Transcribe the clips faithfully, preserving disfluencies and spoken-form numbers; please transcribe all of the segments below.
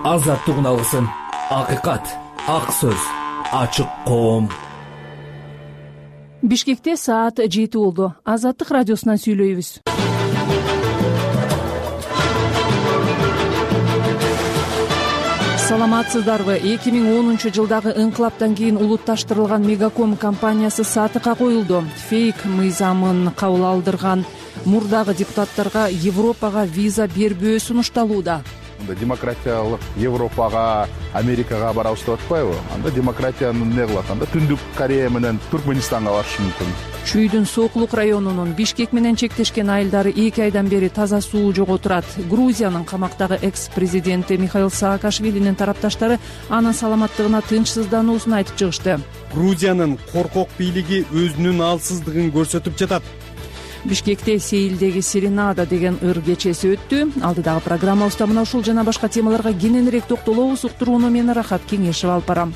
азаттыгын алгысың. Акыйкат, ак сөз, ачык коом. Бишкекте саат жети болду. Азаттык радиосунан сүйлөйбүз. Саламатсыздарбы? эки миң онунчу жылдагы инкылаптан кийин улутташтырылган Мегаком компаниясы сатыкка коюлду. Фейк мыйзамын кабыл алдырган мурдагы депутаттарга Европага виза бербөө сунушталууда. Демократиялык Европага, Америкага барабыз деп атпайбы? Анда демократияны эмне кылат? Анда Түндүк Корея менен Туркменистанга барышы мүмкүн. Чүйдүн Сокулук районунун Бишкек менен чектешкен айылдары эки айдан бери таза суу жоготурат. Грузиянын камактагы экс-президенти Михаил Саакашвилинин тарапташтары анын саламаттыгына тынчсыздануусун айтып чыгышты. Грузиянын коркок бийлиги өзүнүн алсыздыгын көрсөтүп жатат. Бишкекте Сейилдеги Серенада деген ыр кечеси өттү. Алдыдагы программабызда мына ушул жана башка темаларга кененирээк токтолобуз. Уктурууну мен Рахат Кеңешев алып барам.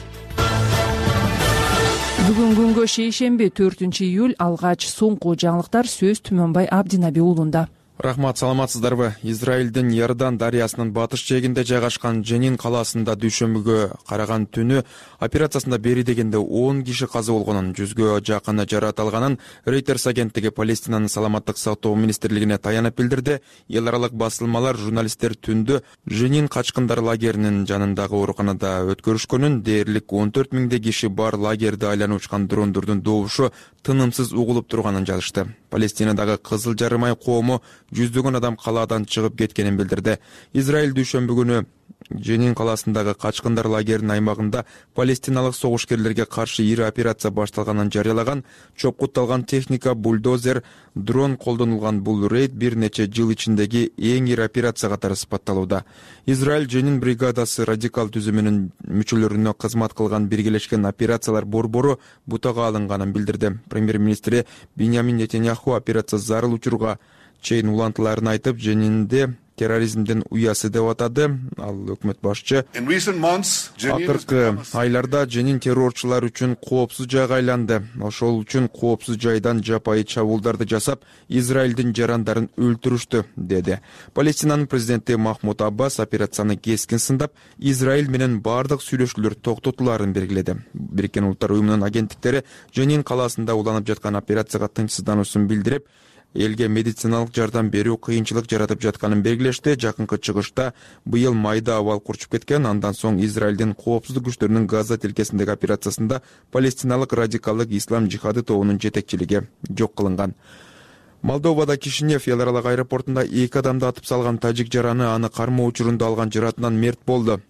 Бүгүн күнгө шейшемби төртүнчү июль алгач соңку жаңылыктар сөз Түмөнбай Абдинаби уулунда. Рахмат, саламатсыздарбы? Израилдин Иордан дарыясынын батыш жээгинде жайгашкан Женин калаасында дүйшөмбүгө караган түнү операциясында бери дегенде он киши каза болгонун, жүзгө жакыны жаратылганын Reuters агенттиги Палестинанын саламаттык сактоо министрлигине таянып билдирди. Эл аралык басылмалар журналисттер түндө Женин качкындар лагеринин жанындагы ооруканада өткөрүшкөнүн, дээрлик он төрт миңдей киши бар лагерди айланып учкан дрондордун добушу тынымсыз угулуп турганын жазышты. Палестинадагы Кызыл Жарым ай коому жүздөгөн адам калаадан чыгып кеткенин билдирди. Израиль дүйшөмбү күнү Женин калаасындагы качкындар лагеринин аймагында палестиналык согушкерлерге каршы ири операция башталганын жарыялаган. Чопкутталган техника, бульдозер, дрон колдонулган бул рейд бир нече жыл ичиндеги эң ири операция катары сыпатталууда. Израиль Женин бригадасы радикал түзүмүнүн мүчөлөрүнө кызмат кылган биргелешкен операциялар борбору бутага алынганын билдирди. Премьер-министри Биньямин Нетаньяху операция зарыл учурга чейин улантыларын айтып, Женинде терроризмдин уясы деп атады. Ал өкмөт башчы акыркы айларда Женин террорчулар үчүн коопсуз жайга айланды. Ошол үчүн коопсуз жайдан жапайы чабуулдарды жасап, Израилдин жарандарын өлтүрүштү, деди. Палестинанын президенти Махмуд Аббас операцияны кескин сындап, Израиль менен бардык сүйлөшүүлөр токтотуларын белгиледи. Бириккен Улуттар уюмунун агенттиктери Женин калаасында уланып жаткан операцияга тынчсыздануусун билдирип, элге медициналык жардам берүү кыйынчылык жаратып жатканын белгилешти. Жакынкы чыгышта быйыл майда абал курчуп кеткен. Андан соң Израилдин коопсуздук күчтөрүнүн Газа тилкесиндеги операциясында палестиналык радикалдык ислам жихады тобунун жетекчилиги жок кылынган. Молдовада Кишинев эл аралык аэропортунда эки адамды атып салган тажик жараны аны кармоо учурунда алган жаратынан мерт болду.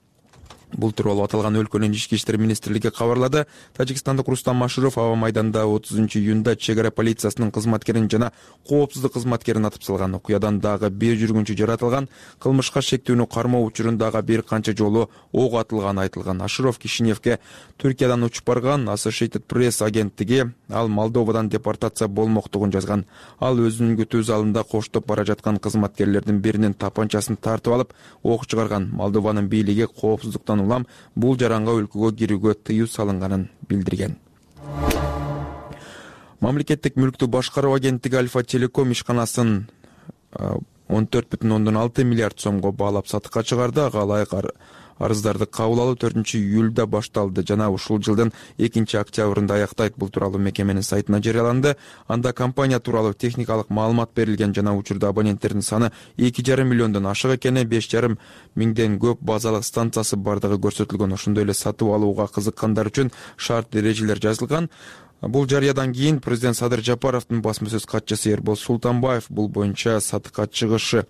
Бул тууралуу аталган өлкөнүн ички иштер министрлиги кабарлады. Тажикстандык Рустам Машуров аба майданда отузунчу июнда чек ара полициясынын кызматкерин жана коопсуздук кызматкерин атып салган. Окуядан дагы бир жүргүнчү жаратылган. Кылмышка шектүүнү кармоо учурундагы бир канча жолу ок атылганы айтылган. Ашуров Кишиневке Түркиядан учуп барган. Associated Press агенттиги ал Молдовадан депортация болмоктугун жазган. Ал өзүнүн күтүү залында коштоп бара жаткан кызматкерлердин биринин тапанчасын тартып алып, ок чыгарган. Молдованын бийлиги коопсуздуктан улам бул жаранга өлкөгө кирүүгө тыюу салынганын билдирген. Мамлекеттик мүлктү башкаруу агенттиги Альфа Телеком ишканасын он төрт бүтүн ондон алты миллиард сомго баалап сатыкка чыгарды. Ага ылайык арыздарды кабыл алуу төртүнчү июлда башталды жана ушул жылдын экинчи октябрында аяктайт. Бул тууралуу мекеменин сайтына жарыяланды. Анда компания тууралуу техникалык маалымат берилген жана учурда абоненттердин саны эки жарым миллиондон ашык экени, беш жарым миңден көп базалык станциясы бардыгы көрсөтүлгөн. Ошондой эле сатып алууга кызыккандар үчүн шарт эрежелер жазылган. Бул жарыядан кийин президент Садыр Жапаровдун басма сөз катчысы Эрбол Султанбаев бул боюнча сатыкка чыгышы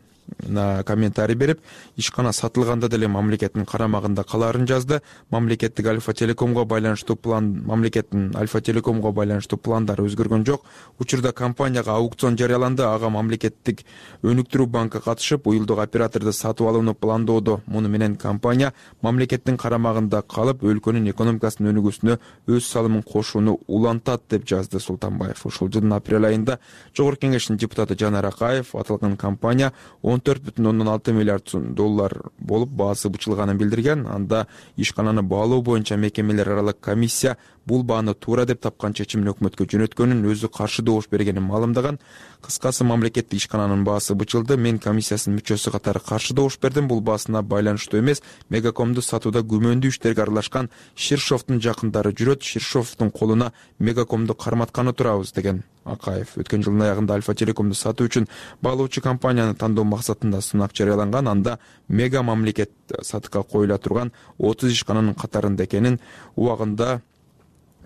комментарий берип, ишкана сатылганда деле мамлекеттин карамагында калаарын жазды. Мамлекеттик Альфа Телекомго байланыштуу план мамлекеттин Альфа Телекомго байланыштуу пландары өзгөргөн жок. Учурда компанияга аукцион жарыяланды. Ага мамлекеттик өнүктүрүү банкы катышып, уюлдук операторду сатып алууну пландоодо. Муну менен компания мамлекеттин карамагында калып, өлкөнүн экономикасынын өнүгүүсүнө өз салымын кошууну улантат, деп жазды Султанбаев. Ушул жылдын апрель айында Жогорку Кеңештин депутаты Жанар Акаев аталган компания он он төрт бүтүн ондон алты миллиард сом доллар болуп баасы бычылганын билдирген. Анда ишкананы баалоо боюнча мекемелер аралык комиссия бул бааны туура деп тапкан чечимин өкмөткө жөнөткөнүн, өзү каршы добуш бергенин маалымдаган. Кыскасы, мамлекеттик ишкананын баасы бычылды. Мен комиссиясынын мүчөсү катары каршы добуш бердим. Бул баасына байланыштуу эмес. Мегакомду сатууда күмөндүү иштерге аралашкан Ширшовдун жакындары жүрөт. Ширшовдун колуна Мегакомду карматканы турабыз, деген Акаев. Өткөн жылдын аягында Альфа Телекомду сатуу үчүн баалоочу компанияны тандоо максатында сунак жарыяланган. Анда Мега мамлекет сатыкка коюла турган отуз ишкананын катарында экенин, убагында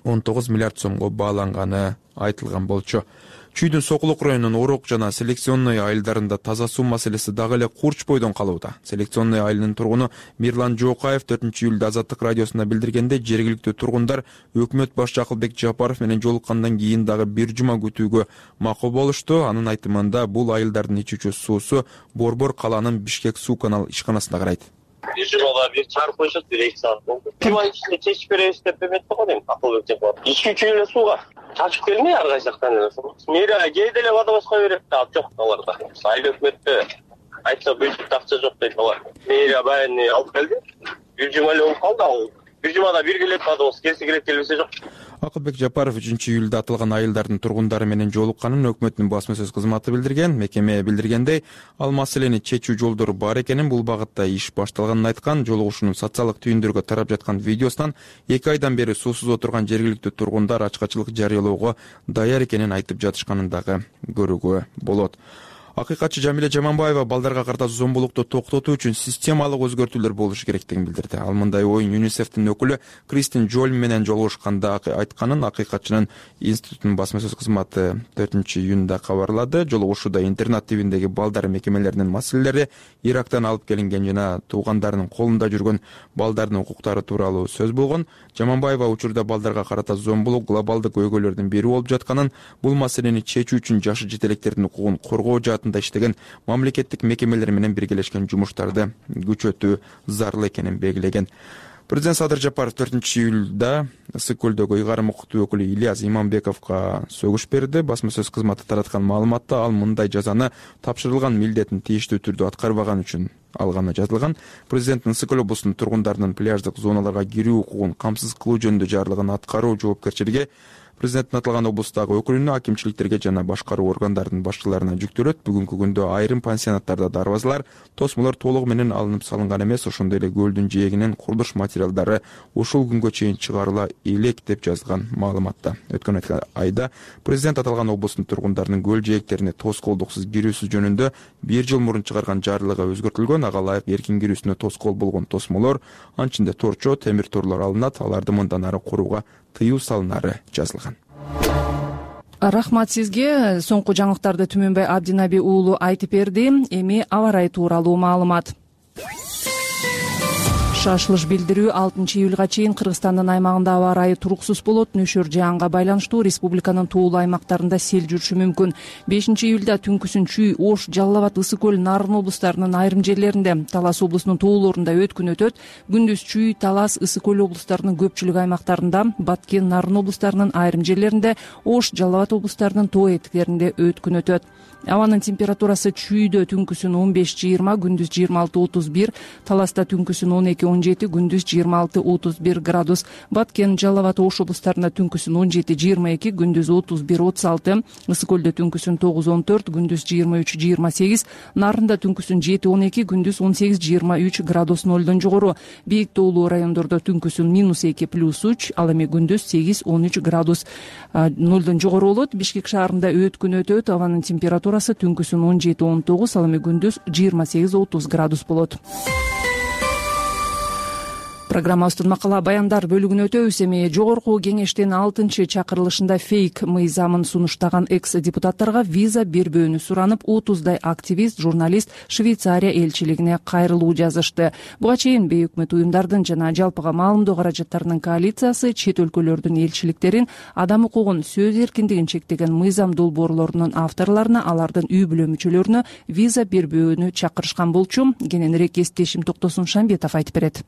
он тогуз миллиард сомго бааланганы айтылган болчу. Чүйдүн Сокулук районунун Орок жана Селекционный айылдарында таза суу маселеси дагы эле курч бойдон калууда. Селекционный айылынын тургуну Мирлан Жокаев төртүнчү июлда Азаттык радиосуна билдиргенде, жергиликтүү тургундар өкмөт башчы Акылбек Жапаров менен жолуккандан кийин дагы бир жума күтүүгө макул болушту. Анын айтымында бул айылдардын ичүүчү суусу Борбор калаанын Бишкек суу канал ишканасына карайт. бир жумада бир чыгарып коюшат, бир эки саат болду. Жума ичинде чечип беребиз деп эметти го дейм, Акылбек Жапаров. Ичүүчү эле сууга чачып келмей ар кайсы жактан эле суу. Мэрия кээде эле водовозго берет да, жок аларда. Айыл өкмөттө айтса бюджетте акча жок дейт алар. Мэрия баягы алып келди. Бир жума эле болуп калды ал. Бир жумада бир келет водовоз, келсе келет, келбесе жок. Акылбек Жапаров үчүнчү июлда аталган айылдардын тургундары менен жолукканын өкмөттүн басма сөз кызматы билдирген. Мекеме билдиргендей, ал маселени чечүү жолдору бар экенин, бул багытта иш башталганын айткан. Жолугушуунун социалдык түйүндөргө тарап жаткан видеосунан эки айдан бери суусуз отурган жергиликтүү тургундар ачкачылык жарыялоого даяр экенин айтып жатышканын дагы көрүүгө болот. Акыйкатчы Жамиле Жаманбаева балдарга карата зомбулукту токтотуу үчүн системалык өзгөртүүлөр болушу керектигин билдирди. Ал мындай оюн ЮНИСЕФтин өкүлү Кристин Джолм менен жолугушканда айтканын Акыйкатчынын институтунун басма сөз кызматы төртүнчү июнда кабарлады. Жолугушууда интернат тибиндеги балдар мекемелеринин маселелери, Ирактан алып келинген жана туугандарынын колунда жүргөн балдардын укуктары тууралуу сөз болгон. Жаманбаева учурда балдарга карата зомбулук глобалдык өйгөлөрдүн бири болуп жатканын, бул маселени чечүү үчүн жашы жетелектердин укугун коргоо жаатында иштеген мамлекеттик мекемелер менен биргелешкен жумуштарды күчөтүү зарыл экенин белгилеген. Президент Садыр Жапаров төртүнчү июлда Ысык көлдөгү ыйгарым укуктуу өкүлү Ильяс Иманбековго сөгүш берди. Басма сөз кызматы тараткан маалыматта ал мындай жазаны тапшырылган милдетин тийиштүү түрдө аткарбаган үчүн алганы жазылган. Президенттин Ысык көл облусунун тургундарынын пляждык зоналарга кирүү укугун камсыз кылуу жөнүндө жарлыгын аткаруу жоопкерчилиги президенттин аталган облустагы өкүлүнө, акимчиликтерге жана башкаруу органдарынын башчыларына жүктөлөт. Бүгүнкү күндө айрым пансионаттарда дарбазалар, тосмолор толугу менен алынып салынган эмес, ошондой эле көлдүн жээгинен курулуш материалдары ушул күнгө чейин чыгарыла элек деп жазылган маалыматта. Өткөн айда президент аталган облустун тургундарынын көл жээктерине тоскоолдуксуз кирүүсү жөнүндө бир жыл мурун чыгарган жарлыгы өзгөртүлгөн. Ага ылайык эркин кирүүсүнө тоскоол болгон тосмолор, анчында торчо, темир торлор алынат, аларды мындан ары курууга тыюу салынары жазылган. Рахмат сизге. Соңку жаңылыктарды Түмөнбай Абдинаби уулу айтып берди. Эми аба ырайы тууралуу маалымат. Шашылыш билдирүү алтынчы июлга чейин Кыргызстандын аймагында аба ырайы туруксуз болот. Нөшөр жаанга байланыштуу республиканын тоолуу аймактарында сел жүрүшү мүмкүн. бешинчи июлда түнкүсүн Чүй, Ош, Жалал Абад, Ысык көл, Нарын облустарынын айрым жерлеринде, Талас облусунун тоолорунда өткүн өтөт. Күндүз Чүй, Талас, Ысык көл облустарынын көпчүлүк аймактарында, Баткен, Нарын облустарынын айрым жерлеринде, Ош, Жалал Абад облустарынын тоо этиктеринде өткүн өтөт. Абанын температурасы Чүйдө түнкүсүн он беш жыйырма, күндүз жыйырма алты отуз бир, Таласта түнкүсүн он эки он жети, күндүз жыйырма алты отуз бир градус, Баткен, Жалал Абад, Ош облустарында түнкүсүн он жети жыйырма эки, күндүз отуз бир отуз алты, Ысык көлдө түнкүсүн тогуз он төрт, күндүз жыйырма үч жыйырма сегиз, Нарында түнкүсүн жети он эки, күндүз он сегиз жыйырма үч градус нолдон жогору. Бийик тоолуу райондордо түнкүсүн минус эки плюс үч, ал эми күндүз сегиз он үч градус нолдон жогору болот. Бишкек шаарында өткүн өтөт. Абанын температурасы түнкүсүн он жети он тогуз, ал эми күндүз жыйырма сегиз отуз градус болот. Программабыздын макала баяндар бөлүгүнө өтөбүз. Эми жогорку кеңештин алтынчы чакырылышында фейк мыйзамын сунуштаган экс депутаттарга виза бербөөнү суранып, отуздай активист, журналист Швейцария элчилигине кайрылуу жазышты. Буга чейин бейөкмөт уюмдардын жана жалпыга маалымдоо каражаттарынын коалициясы чет өлкөлөрдүн элчиликтерин адам укугун, сөз эркиндигин чектеген мыйзам долбоорлорунун авторлоруна, алардын үй бүлө мүчөлөрүнө виза бербөөнү чакырышкан болчу. Кененирээк эстешим Токтосун Шамбетов айтып берет.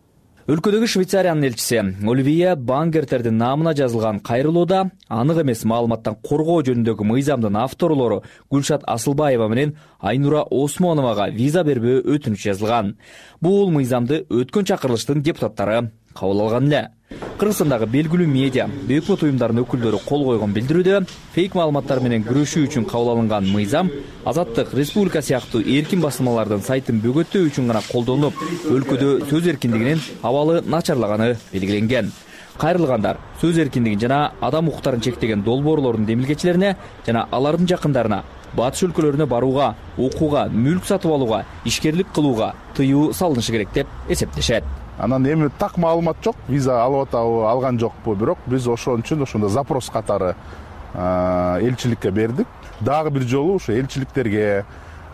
Өлкөдөгү Швейцариянын элчиси Оливия Бангертердин наамына жазылган кайрылууда анык эмес маалыматтан коргоо жөнүндөгү мыйзамдын авторлору Гүлшат Асылбаева менен Айнура Осмоновага виза бербөө өтүнүч жазылган. Бул мыйзамды өткөн чакырылыштын депутаттары кабыл алган эле. Кыргызстандагы белгилүү медиа, өкмөт уюмдарынын өкүлдөрү кол койгон билдирүүдө фейк маалыматтар менен күрөшүү үчүн кабыл алынган мыйзам Азаттык, Республика сыяктуу эркин басылмалардын сайтын бөгөттөө үчүн гана колдонулуп, өлкөдө сөз эркиндигинин абалы начарлаганы белгиленген. Кайрылгандар сөз эркиндигин жана адам укуктарын чектеген долбоорлордун демилгечилерине жана алардын жакындарына батыш өлкөлөрүнө барууга, окууга, мүлк сатып алууга, ишкерлик кылууга тыюу салынышы керек деп эсептешет. Анан эми так маалымат жок, виза алып атабы, алган жокпу, бирок биз ошон үчүн ошондо запрос катары элчиликке бердик. Дагы бир жолу ошо элчиликтерге,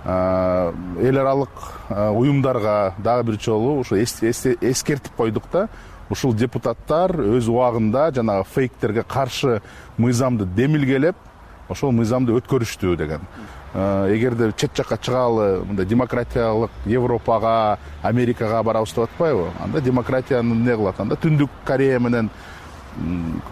эл аралык уюмдарга дагы бир жолу ошо эскертип койдук да, ушул депутаттар өз убагында жанагы фейктерге каршы мыйзамды демилгелеп, ошол мыйзамды өткөрүштү деген. Эгерде чет жакка чыгалы, мындай демократиялык Европага, Америкага барабыз деп атпайбы? Анда демократияны эмне кылат? Анда Түндүк Корея менен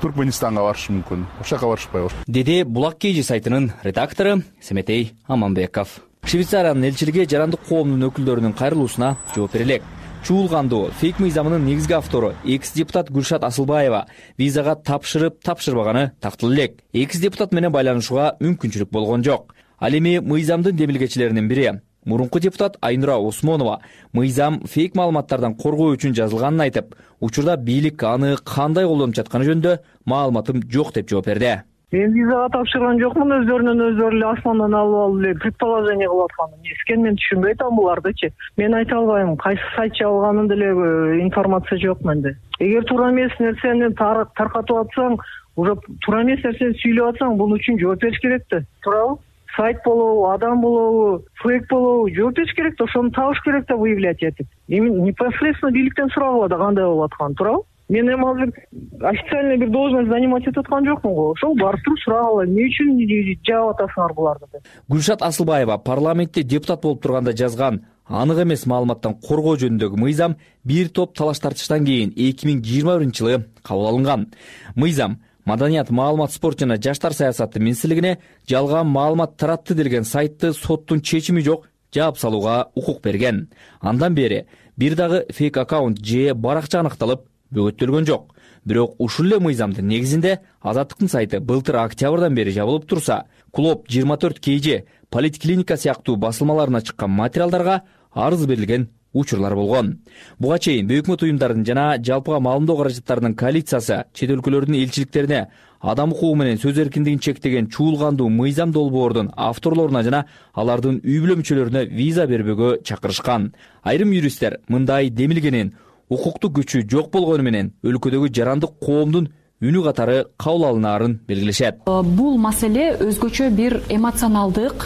Туркменистанга барышы мүмкүн. Ошол жака барышпайбы? Деди Булак Кежи сайтынын редактору Семетей Аманбеков. Швейцариянын элчилиги жарандык коомдун өкүлдөрүнүн кайрылуусуна жооп бере элек. Чуулгандуу фейк мыйзамынын негизги автору экс-депутат Гүлшат Асылбаева визага тапшырып, тапшырбаганы тактылуу элек. Экс-депутат менен байланышууга мүмкүнчүлүк болгон жок. Ал эми мыйзамдын демилгечилеринин бири мурунку депутат Айнура Осмонова мыйзам фейк маалыматтардан коргоо үчүн жазылганын айтып, учурда бийлик аны кандай колдонуп жатканы жөнүндө маалыматым жок деп жооп берди. Мен визага тапшырган жокмун, өздөрүнөн өздөрү эле асмандан алып алып эле предположение кылып аткан. Эскен мен түшүнбөй атам булардычы. Мен айта албайм, кайсы сайт жабылганын деле информация жок менде. Эгер туура эмес нерсени таркатып атсаң, уже туура эмес нерсени сүйлөп атсаң, бунун үчүн жооп бериш керек да. Туурабы? Сайт болобу, адам болобу, фейк болобу, жооп бериш керек да, ошону табыш керек да выявлять этип. Эми непосредственно бийликтен сурагыла да кандай болуп атканын, туурабы? Мен эми азыр официальный бир должность занимать этип аткан жокмун го. Ошол барып туруп сурагыла, эмне үчүн жаап атасыңар буларды деп. Гүлшат Асылбаева парламентте депутат болуп турганда жазган анык эмес маалыматтан коргоо жөнүндөгү мыйзам бир топ талаш тартыштан кийин эки миң жыйырма биринчи жылы кабыл алынган. Мыйзам Маданият, маалымат, спорт жана жаштар саясаты министрлигине жалган маалымат таратты делген сайтты соттун чечими жок жаап салууга укук берген. Андан бери бир дагы фейк аккаунт же баракча аныкталып бөгөттөлгөн жок. Бирок ушул эле мыйзамдын негизинде Азаттыктын сайты былтыр октябрдан бери жабылып турса, Клуб жыйырма төрт кей же Политклиника сыяктуу басылмаларына чыккан материалдарга арыз берилген учурлар болгон. Буга чейин өкмөт уюмдарынын жана жалпыга маалымдоо каражаттарынын коалициясы чет өлкөлөрдүн элчиликтерине адам укугу менен сөз эркиндигин чектеген чуулгандуу мыйзам долбоордун авторлоруна жана алардын үй бүлө мүчөлөрүнө виза бербөөгө чакырышкан. Айрым юристтер мындай демилгенин укуктук күчү жок болгону менен өлкөдөгү жарандык коомдун үнү катары кабыл алынаарын белгилешет. Бул маселе өзгөчө бир эмоционалдык,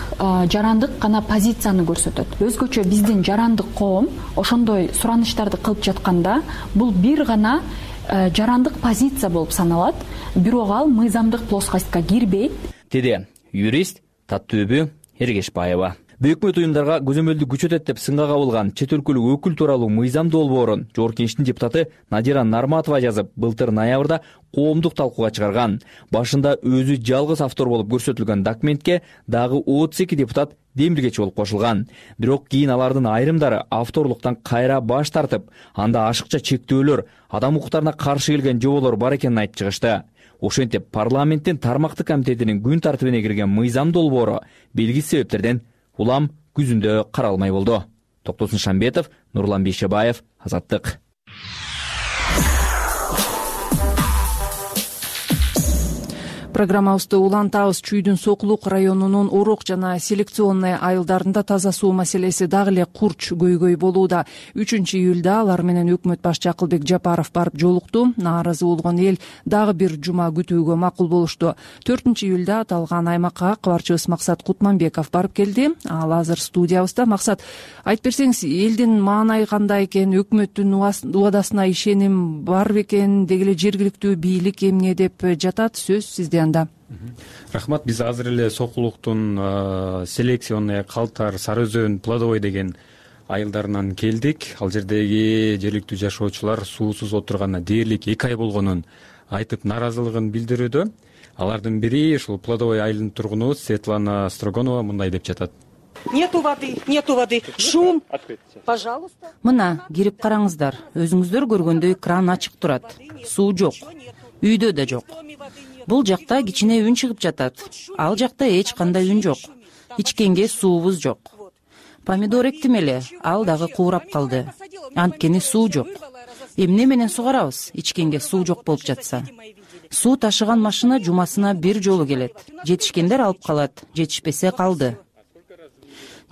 жарандык гана позицияны көрсөтөт. Өзгөчө биздин жарандык коом ошондой сураныштарды кылып жатканда, бул бир гана жарандык позиция болуп саналат, бирок ал мыйзамдык плоскостька кирбейт. Деди юрист Таттөбү Эргешбаева. Өкмөт уюмдарга көзөмөлдү күчөтөт деп сынга кабылган чет өлкөлүк өкүл тууралуу мыйзам долбоорун Жогорку Кеңештин депутаты Надира Нарматова жазып, былтыр ноябрда коомдук талкууга чыгарган. Башында өзү жалгыз автор болуп көрсөтүлгөн документке дагы отуз эки депутат демилгечи болуп кошулган. Бирок кийин алардын айрымдары авторлуктан кайра баш тартып, анда ашыкча чектөөлөр, адам укуктарына каршы келген жоболор бар экенин айтып чыгышты. Ошентип парламенттин тармактык комитетинин күн тартибине кирген мыйзам долбоору белгисиз себептерден улам күзүндө каралмай болду. Токтосун Шамбетов, Нурлан Бейшебаев, Азаттык. Программабызды улантабыз. Чүйдүн Сокулук районунун Орок жана селекционный айылдарында таза суу маселеси дагы эле курч көйгөй болууда. үчүнчү июлда алар менен өкмөт башчы Акылбек Жапаров барып жолукту. Нааразы болгон эл дагы бир жума күтүүгө макул болушту. төртүнчү июлда аталган аймакка кабарчыбыз Максат Кутманбеков барып келди. Ал азыр студиябызда. Максат, айтып берсеңиз, элдин маанайы кандай экен, өкмөттүн убадасына ишеним бар бекен, деги эле жергиликтүү бийлик эмне деп жатат, сөз сизде. Рахмат, биз азыр эле Сокулуктун селекционный калтар Сары Өзөн Плодовой деген айылдарынан келдик. Ал жердеги жергиликтүү жашоочулар суусуз отурганына дээрлик эки ай болгонун айтып нааразылыгын билдирүүдө. Алардын бири ушул Плодовой айылынын тургуну Светлана Строгонова мындай деп жатат. Нету воды, нету воды, шум, пожалуйста. Мына, кирип караңыздар. Өзүңүздөр көргөндөй кран ачык турат. Суу жок. Үйдө да жок. Бул жакта кичине үн чыгып жатат. Ал жакта эч кандай үн жок. Ичкенге суубуз жок. Помидор эктим эле, ал дагы куурап калды. Анткени суу жок. Эмне менен сугарабыз, ичкенге суу жок болуп жатса? Суу ташыган машина жумасына бир жолу келет. Жетишкендер алып калат, жетишпесе калды.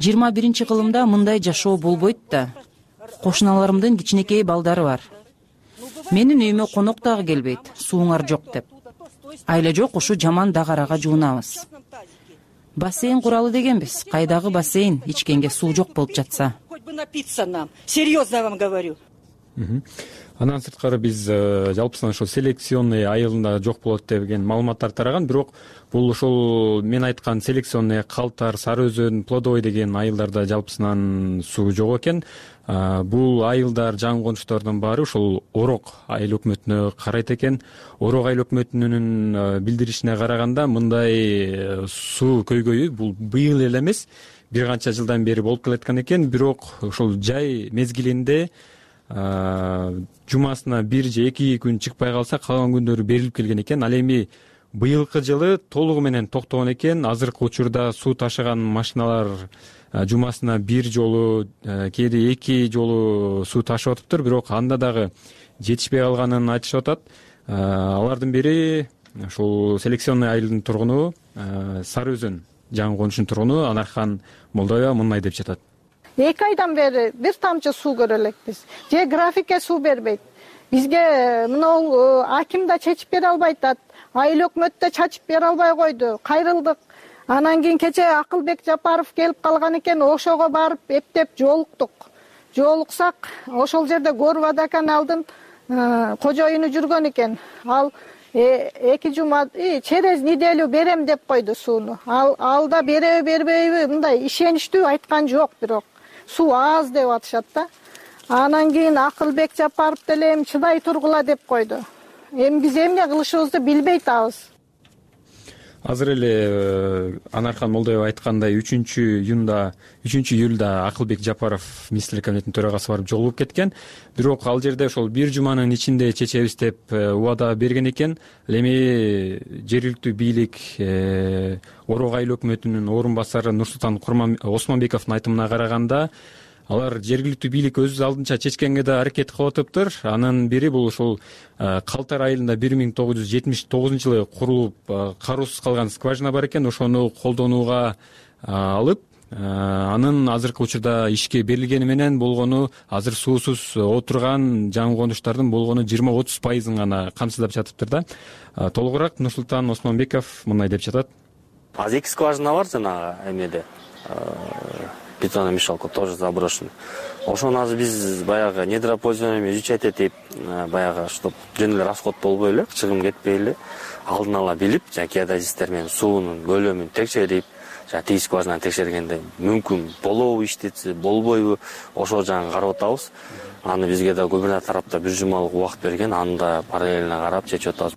жыйырма биринчи кылымда мындай жашоо болбойт да. Кошуналарымдын кичинекей балдары бар. Менин үйүмө конок дагы келбейт, сууңар жок деп. Айла жок, ушу жаман дагарага жуунабыз. Бассейн куралы дегенбиз. Кайдагы бассейн, ичкенге суу жок болуп жатса. Хоть бы напиться нам. Серьезно вам говорю. Андан сырткары биз жалпысынан ошол селекционный айылында жок болот деген маалыматтар тараган, бирок бул ошол мен айткан селекционный Калтар, Сары Өзөн, Плодовой деген айылдарда жалпысынан суу жок экен. Бул айылдар, жаңы конуштардын баары ошол Орок айыл өкмөтүнө карайт экен. Орок айыл өкмөтүнүн билдиришине караганда мындай суу көйгөйү бул быйыл эле эмес, бир канча жылдан бери болуп келаткан экен, бирок ошол жай мезгилинде жумасына бир же эки күн чыкпай калса, калган күндөрү берилип келген экен. Ал эми быйылкы жылы толугу менен токтогон экен. Азыркы учурда суу ташыган машиналар жумасына бир жолу, кээде эки жолу суу ташып атыптыр, бирок анда дагы жетишпей калганын айтышып атат. Алардын бири ушул селекционный айылдын тургуну, Сары Өзөн жаңы конушунун тургуну Анархан Молдоева мындай деп жатат. Эки айдан бери бир тамчы суу көрө элекпиз. Же графикке суу бербейт. Бизге мына аким да чечип бере албайт, айыл өкмөт да чачып бере албай койду. Кайрылдык. Анан кийин кече Акылбек Жапаров келип калган экен, ошого барып эптеп жолуктук. Жолуксак, ошол жерде Горвода каналдын кожоюну жүргөн экен. Ал эки жума через неделю берем деп койду сууну. Ал алда береби бербейби мындай ишеничтүү айткан жок, бирок суу аз деп атышат да. Анан кийин Акылбек Жапаров деле эми чыдай тургула деп койду. Эми биз эмне кылышыбызды билбей атабыз. Азыр эле Анархан Молдоева айткандай үчүнчү июнда үчүнчү июлда Акылбек Жапаров министрлик кабинетинин төрагасы барып жолугуп кеткен. Бирок ал жерде ошол бир жуманын ичинде чечебиз деп убада берген экен. Эми жергиликтүү бийлик Орок айыл өкмөтүнүн орун басары Нурсултан Осмонбековдун айтымына караганда, алар жергиликтүү бийлик өз алдынча чечкенге да аракет кылып атыптыр. Анын бири бул ушул Калтар айылында бир миң тогуз жүз жетимиш тогузунчу жылы курулуп кароосуз калган скважина бар экен, ошону колдонууга алып, анын азыркы учурда ишке берилгени менен болгону азыр суусуз отурган жаңы конуштардын болгону жыйырма отуз пайызын гана камсыздап жатыптыр да. Толугураак Нурсултан Осмонбеков мындай деп жатат. Азыр эки скважина бар жанагы эмнеде. Бетономешалка тоже заброшена. Ошону азыр биз баягы недропользование изучать этип, баягы чтоб жөн эле расход болбой эле, чыгым кетпей эле алдын ала билип, жана геодезисттер менен суунун көлөмүн текшерип, жана тиги скважинаны текшергенде мүмкүн болобу иштетсе, болбойбу, ошол жагын карап атабыз. Аны бизге да губернатор тарапта бир жумалык убакыт берген, аны да параллельно карап чечип атабыз.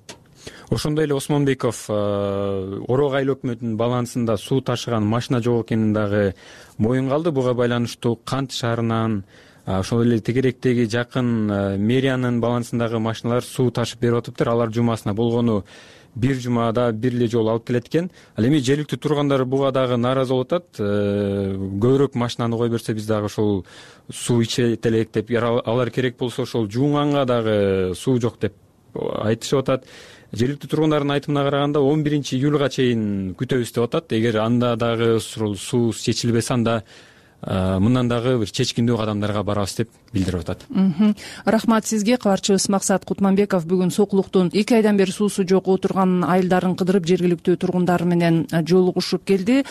Ошондой эле Осмонбеков Орок айыл өкмөтүнүн балансында суу ташыган машина жок экенин дагы моюнга алды. Буга байланыштуу Кант шаарынан, ошол эле тегеректеги жакын мэриянын балансындагы машиналар суу ташып берип атыптыр. Алар жумасына болгону бир жумада бир эле жолу алып келет экен. Ал эми жергиликтүү тургандар буга дагы нааразы болуп атат. Көбүрөөк машинаны кое берсе биз дагы ошол суу ичет элек деп, алар керек болсо ошол жуунганга дагы суу жок деп айтышып атат. Жергиликтүү тургундардын айтымына караганда он биринчи июлга чейин күтөбүз деп атат. Эгер анда дагы суу чечилбесе, анда мындан дагы бир чечкиндүү кадамдарга барабыз деп билдирип атат. Рахмат сизге. Кабарчыбыз Максат Кутманбеков бүгүн Сокулуктун эки айдан бери суусу жок отурган айылдарын кыдырып жергиликтүү тургундар менен жолугушуп келди.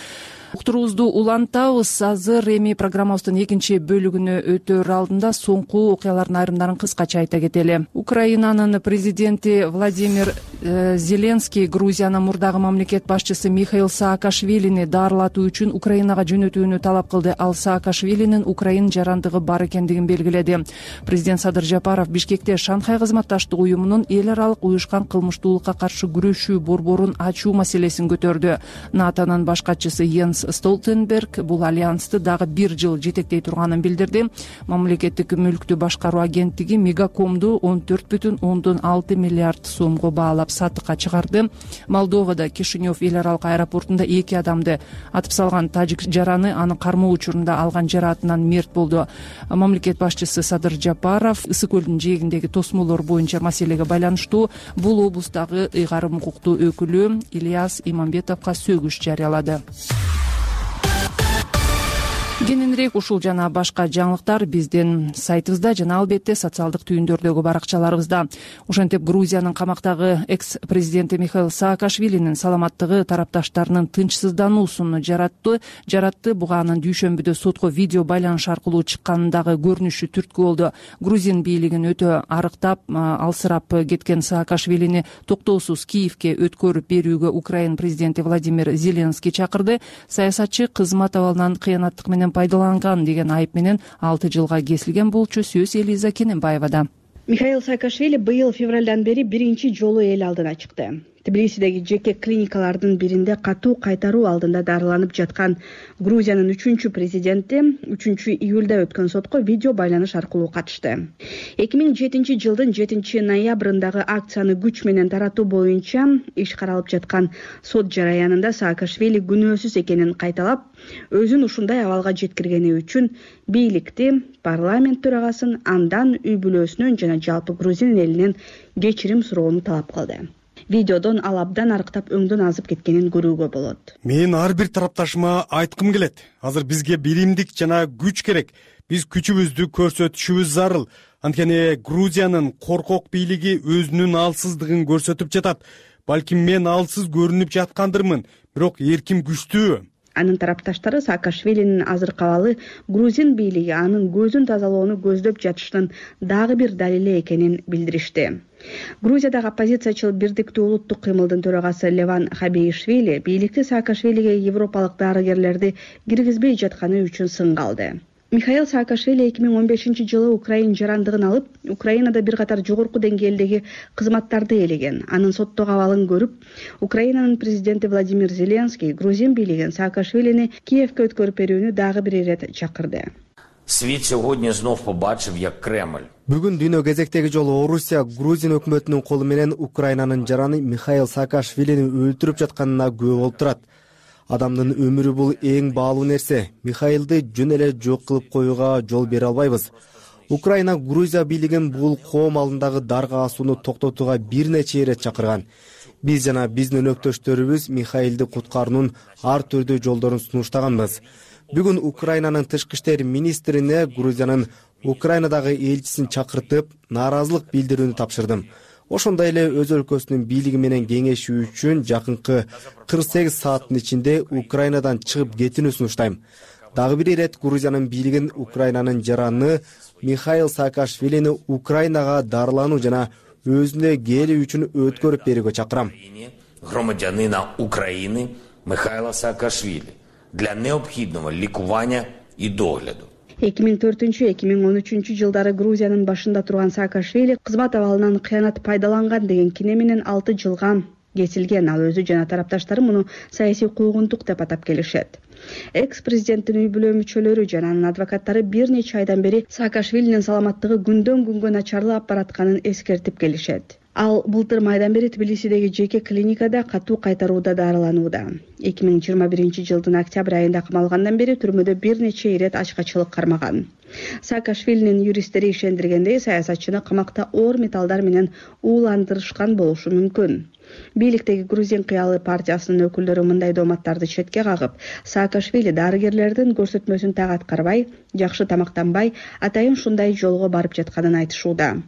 Уктуруубузду улантабыз. Азыр эми программабыздын экинчи бөлүгүнө өтөр алдында соңку окуялардын айрымдарын кыскача айта кетели. Украинанын президенти Владимир э, Зеленский Грузиянын мурдагы мамлекет башчысы Михаил Саакашвилини даарылатуу үчүн Украинага жөнөтүүнү талап кылды. Ал Саакашвилинин Украин жарандыгы бар экендигин белгиледи. Президент Садыр Жапаров Бишкекте Шанхай кызматташтык уюмунун эл аралык уюшкан кылмыштуулукка каршы күрөшүү борборун ачуу маселесин көтөрдү. натонун баш катчысы Йенс Столтенберг бул альянсты дагы бир жыл жетектей турганын билдирди. Мамлекеттик мүлктү башкаруу агенттиги Мегакомду он төрт бүтүн ондон алты миллиард сомго баалап сатыкка чыгарды. Молдовада Кишинев эл аралык аэропортунда эки адамды атып салган тажик жараны анын кармоо учурунда алган жараатынан мерт болду. Мамлекет башчысы Садыр Жапаров Ысык көлдүн жээгиндеги тосмолор боюнча маселеге байланыштуу бул облустагы ыйгарым укуктуу өкүлү Ильяс Имамбетовго сөгүш жарыялады. Кененирээк ушул жана башка жаңылыктар биздин сайтыбызда жана албетте социалдык түйүндөрдөгү баракчаларыбызда. Ошентип Грузиянын камактагы экс-президенти Михаил Саакашвилинин саламаттыгы тарапташтарынын тынчсыздануусун жаратты. Жаратты буга анын дүйшөмбүдө сотко видео байланыш аркылуу чыккандагы көрүнүшү түрткү болду. Грузин бийлигин өтө арыктап, алсырап кеткен Саакашвилини токтоосуз Киевке өткөрүп берүүгө Украин президенти Владимир Зеленский чакырды. Саясатчы кызмат абалынан кыянаттык менен пайдаланган деген айып менен алты жылга кесилген болчу. Сөз Элиза Кененбаевада. Михаил Саакашвили быйыл февралдан бери биринчи жолу эл алдына чыкты. Тбилисидеги жеке клиникалардын биринде катуу кайтаруу алдында дарыланып жаткан Грузиянын үчүнчү президенти үчүнчү июлда өткөн сотко видео байланыш аркылуу катышты. эки миң жетинчи жылдын жетинчи ноябрындагы акцияны күч менен таратуу боюнча иш каралып жаткан сот жараянында Саакашвили күнөөсүз экенин кайталап, өзүн ушундай абалга жеткиргени үчүн бийликти, парламент төрагасын, андан үй бүлөсүнөн жана жалпы Грузин элинен кечирим суроону талап кылды. Видеодон ал абдан арыктап өңдөн азып кеткенин көрүүгө болот. Мен ар бир тарапташыма айткым келет. Азыр бизге биримдик жана күч керек. Биз күчүбүздү көрсөтүшүбүз зарыл. Анткени Грузиянын коркок бийлиги өзүнүн алсыздыгын көрсөтүп жатат. Балким мен алсыз көрүнүп жаткандырмын, бирок эрким күчтүү. Анын тарапташтары Саакашвилинин азыркы абалы Грузин бийлиги анын көзүн тазалоону көздөп жатышынын дагы бир далили экенин билдиришти. Грузиядагы оппозициячыл Бирдиктүү улуттук кыймылдын төрагасы Леван Хабеишвили бийликти Саакашвилиге европалык дарыгерлерди киргизбей жатканы үчүн сынга алды. Михаил Саакашвили эки миң он бешинчи жылы Украин жарандыгын алып, Украинада бир катар жогорку деңгээлдеги кызматтарды ээлеген. Анын соттогу абалын көрүп, Украинанын президенти Владимир Зеленский Грузин бийлигин Саакашвилини Киевке өткөрүп берүүнү дагы бир ирет чакырды. Світ сьогодні знов побачив, як Кремль. Бүгүн дүйнө кезектеги жолу Орусия Грузин өкмөтүнүн колу менен Украинанын жараны Михаил Саакашвилини өлтүрүп жатканына күбө болуп турат. Адамдын өмүрү бул эң баалуу нерсе. Михаилди жөн эле жок кылып коюуга жол бере албайбыз. Украина Грузия бийлигин бул коом алдындагы дарга асууну токтотууга бир нече ирет чакырган. Биз жана биздин өнөктөштөрүбүз Михаилди куткаруунун ар түрдүү жолдорун сунуштаганбыз. Бүгүн Украинанын тышкы иштер министрине Грузиянын Украинадагы элчисин чакыртып, нааразылык билдирүүнү тапшырдым. Ошондой эле өз өлкөсүнүн бийлиги менен кеңешүү үчүн жакынкы кырк сегиз сааттын ичинде Украинадан чыгып кетүүнү сунуштайм. Дагы бир ирет Грузиянын бийлигин Украинанын жараны Михаил Саакашвилини Украинага дарылануу жана өзүнө келүү үчүн өткөрүп берүүгө чакырам. Громадянина України Михайла Саакашвили для необхідного лікування і догляду. эки миң төртүнчү эки миң он үчүнчү жылдары Грузиянын башында турган Саакашвили кызмат абалынан кыянат пайдаланган деген кине менен алты жылга кесилген. Ал өзү жана тарапташтары муну саясий куугунтук деп атап келишет. Экс-президенттин үй бүлө мүчөлөрү жана анын адвокаттары бир нече айдан бери Саакашвилинин саламаттыгы күндөн күнгө начарлап баратканын эскертип келишет. Ал былтыр майдан бери Тбилисидеги жеке клиникада катуу кайтарууда дарыланууда. эки миң жыйырма биринчи жылдын октябрь айында камалгандан бери түрмөдө бир нече ирет ачкачылык кармаган. Саакашвилинин юристтери ишендиргендей, саясатчыны камакта оор металлдар менен ууландырышкан болушу мүмкүн. бийликтеги Грузин кыялы партиясынын өкүлдөрү мындай дооматтарды четке кагып, Саакашвили дарыгерлердин көрсөтмөсүн так аткарбай, жакшы тамактанбай, атайын ушундай жолго барып жатканын айтышууда.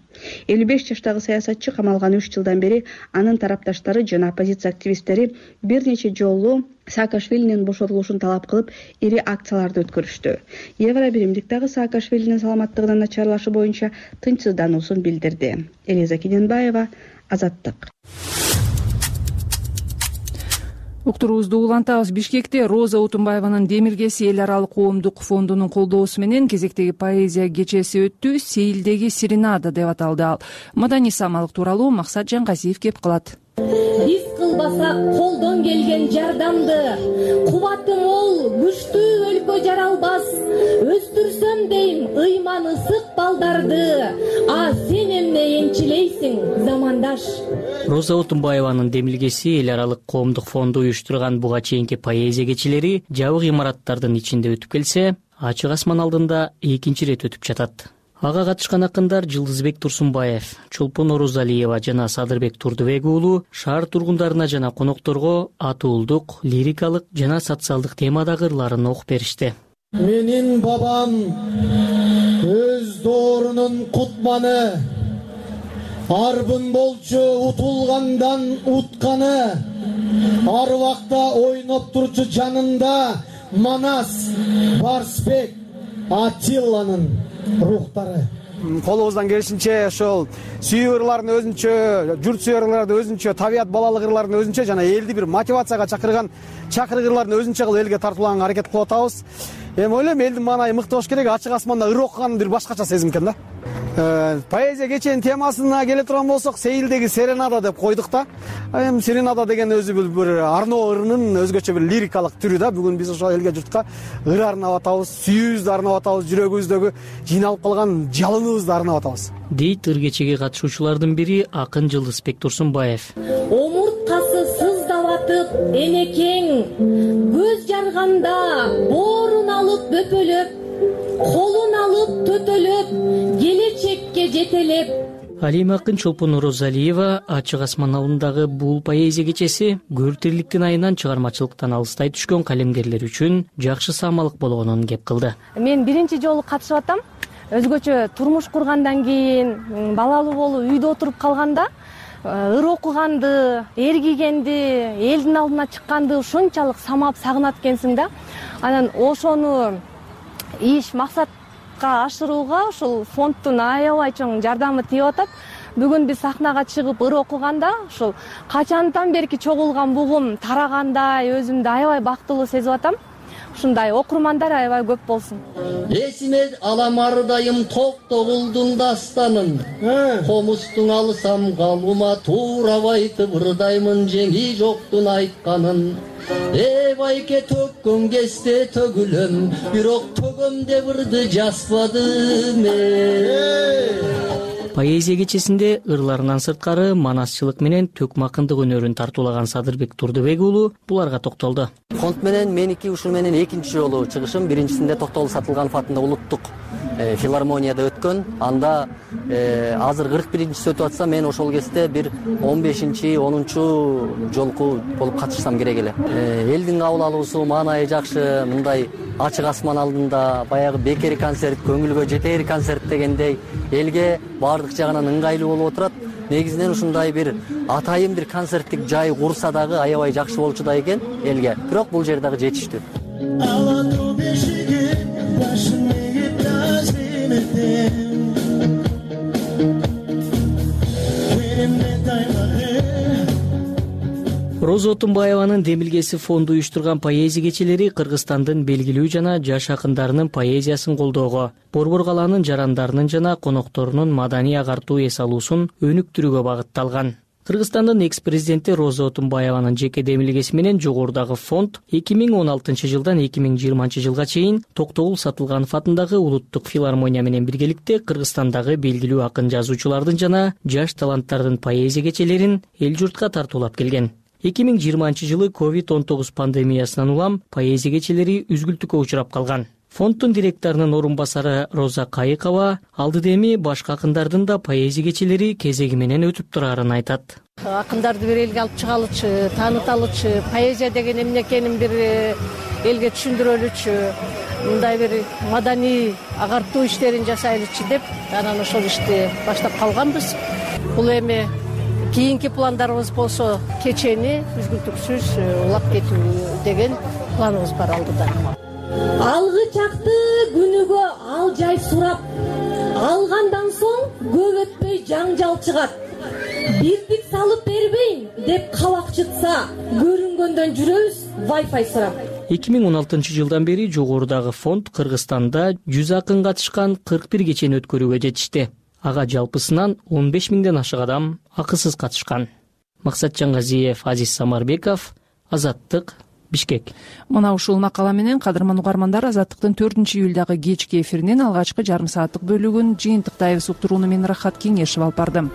элүү беш жаштагы саясатчы камалган үч жылдан бери анын тарапташтары жана оппозиция активисттери бир нече жолу Саакашвилинин бошотулушун талап кылып, ири акцияларды өткөрүштү. Евро биримдик дагы Саакашвилинин саламаттыгынын начарлашы боюнча тынчсыздануусун билдирди. Элиза Кененбаева, Азаттык. Уктуруубузду улантабыз. Бишкекте Роза Отунбаеванын демилгеси эл аралык коомдук фондунун колдоосу менен кезектеги поэзия кечеси өттү. Сейилдеги серенада деп аталды ал. Маданий самалык тууралуу Максат Жангазиев кеп кылат. Биз кылбасак колдон келген жардамды, кубаты мол, күчтүү өлкө жаралбас. Өстүрсөм дейм ыйман ысык балдарды, а сен эмне энчилейсиң, замандаш. Роза Отунбаеванын демилгеси эл аралык коомдук фонду уюштурган буга чейинки поэзия кечелери жабык имараттардын ичинде өтүп келсе, ачык асман алдында экинчи ирет өтүп жатат. Ага катышкан акындар Жылдызбек Турсунбаев, Чолпон Орозалиева жана Садырбек Турдубек уулу шаар тургундарына жана конокторго атуулдук, лирикалык жана социалдык темадагы ырларын окуп беришти. Менин бабам өз доорунун кутманы, арбын болчу утулгандан утканы, ар убакта ойноп турчу жанында Манас, Барсбек, Атилланын рухтары. Колубуздан келишинче ошол сүйүү ырлардын өзүнчө, журт сүйүү ырлардын өзүнчө, табият балалык ырлардын өзүнчө жана элди бир мотивацияга чакырган чакырык ырлардын өзүнчө кылып элге тартууланганга аракет кылып атабыз. Эми ойлойм элдин маанайы мыкты болуш керек, ачык асманда ыр окуган бир башкача сезим экен да. Поэзия кеченин темасына келе турган болсок, Сейилдеги серенада деп койдук да. Эми серенада деген өзү бир арноо ырынын өзгөчө бир лирикалык түрү да. Бүгүн биз ошол элге журтка ыр арнап атабыз, сүйүүбүздү арнап атабыз, жүрөгүбүздөгү жыйналып калган жалыныбызды арнап атабыз. Дейт ыр кечеге катышуучулардын бири акын Жылдызбек Турсунбаев. Омурткасы сыздап атып, энекең көз жарганда боорун алып бөпөлөп, колун алып төтөлөп, келечекке жетелеп. Алима акын Чолпон Орозалиева ачык асман алдындагы бул поэзия кечеси көр тирликтин айынан чыгармачылыктан алыстай түшкөн калемгерлер үчүн жакшы самалык болгонун кеп кылды. Мен биринчи жолу катышып атам. Өзгөчө турмуш кургандан кийин, балалуу болуп үйдө отуруп калганда, ыр окуганды, эргигенди, элдин алдына чыкканды ушунчалык самап сагынат экенсиң да. Анан ошону иш максатка ашырууга ушул фонддун аябай чоң жардамы тийип атат. Бүгүн биз сахнага чыгып ыр окуганда ушул качандан берки чогулган бугум тарагандай өзүмдү аябай бактылуу сезип атам. Ушундай окурмандар аябай көп болсун. Эсиме алам ардайым Токтогулдун дастанын, комустун алсам калума туурап айтып ырдаймын жеңи жоктун айтканын. Э байке төккөн кезде төгүлөм, бирок төгөм деп ырды жазбадым. Поэзия кечесинде ырларынан сырткары манасчылык менен төкмө акындык өнөрүн тартуулаган Садырбек Турдубек уулу буларга токтолду. Фонд менен меники ушул менен экинчи жолу чыгышым. Биринчисинде Токтогул Сатылганов атында улуттук филармонияда өткөн. Анда азыр кырк биринчиси өтүп атса, мен ошол кезде бир он бешинчи онунчу жолку болуп катышсам керек эле. Элдин кабыл алуусу маанайы жакшы, мындай ачык асман алдында баягы бекер концерт, көңүлгө жетер концерт дегендей элге баардык жагынан ыңгайлуу болуп отурат. Негизинен ушундай бир атайын бир концерттик жай курса дагы аябай жакшы болчу да экен элге. Бирок бул жер дагы жетиштүү. Роза Отунбаеванын демилгеси фонду уюштурган поэзия кечелери Кыргызстандын белгилүү жана жаш акындарынын поэзиясын колдоого, Борбор калаанын жарандарынын жана конокторунун маданий агартуу эс алуусун өнүктүрүүгө багытталган. Кыргызстандын экс-президенти Роза Отунбаеванын жеке демилгеси менен жогорудагы фонд эки миң он алтынчы жылдан эки миң жыйырманчы жылга чейин Токтогул Сатылганов атындагы улуттук филармония менен биргеликте Кыргызстандагы белгилүү акын жазуучулардын жана жаш таланттардын поэзия кечелерин эл журтка тартуулап келген. эки миң жыйырманчы жылы ковид он тогуз пандемиясынан улам поэзия кечелери үзгүлтүккө учурап калган. Фонддун директорунун орун басары Роза Кайыкова алдыда эми башка акындардын да поэзия кечелери кезеги менен өтүп турарын айтат. Акындарды бир элге алып чыгалычы, тааныталычы, поэзия деген эмне экенин бир элге түшүндүрөлүчү, мындай бир маданий агартуу иштерин жасайлычы деп анан ошол ишти баштап калганбыз. Бул эми кийинки пландарыбыз болсо кечени үзгүлтүксүз улап кетүү деген планыбыз бар алдыда. Алгы чакты күнүгө ал жай сурап, алгандан соң көп өтпөй жаңжал чыгат. Бирдик салып бербейм деп кабак чытса, көрүнгөндөн жүрөбүз Wi-Fi сурап. эки миң он алтынчы жылдан бери жогорудагы фонд Кыргызстанда жүз акын катышкан кырк бир кечени өткөрүүгө жетишти. Ага жалпысынан он беш миңден ашык адам акысыз катышкан. Максат Жаңгазиев, Азиз Самарбеков, Азаттык, Бишкек. Мына ушул макала менен кадырман угармандар Азаттыктын төртүнчү июлдагы кечки эфиринин алгачкы жарым сааттык бөлүгүн жыйынтыктайбыз. Уктурууну мен Рахат Кеңешев алып бардым.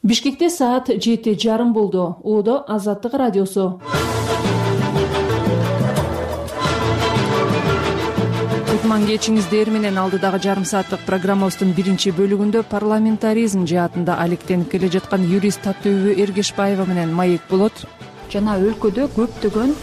Бишкекте саат жети жарым болду. Оодо Азаттык радиосу. Кутман кечиңиздер менен алдыдагы жарым сааттык программабыздын биринчи бөлүгүндө парламентаризм жаатында алектенип келе жаткан юрист Таттөбү Эргешбаева менен маек болот. Жана өлкөдө көптөгөн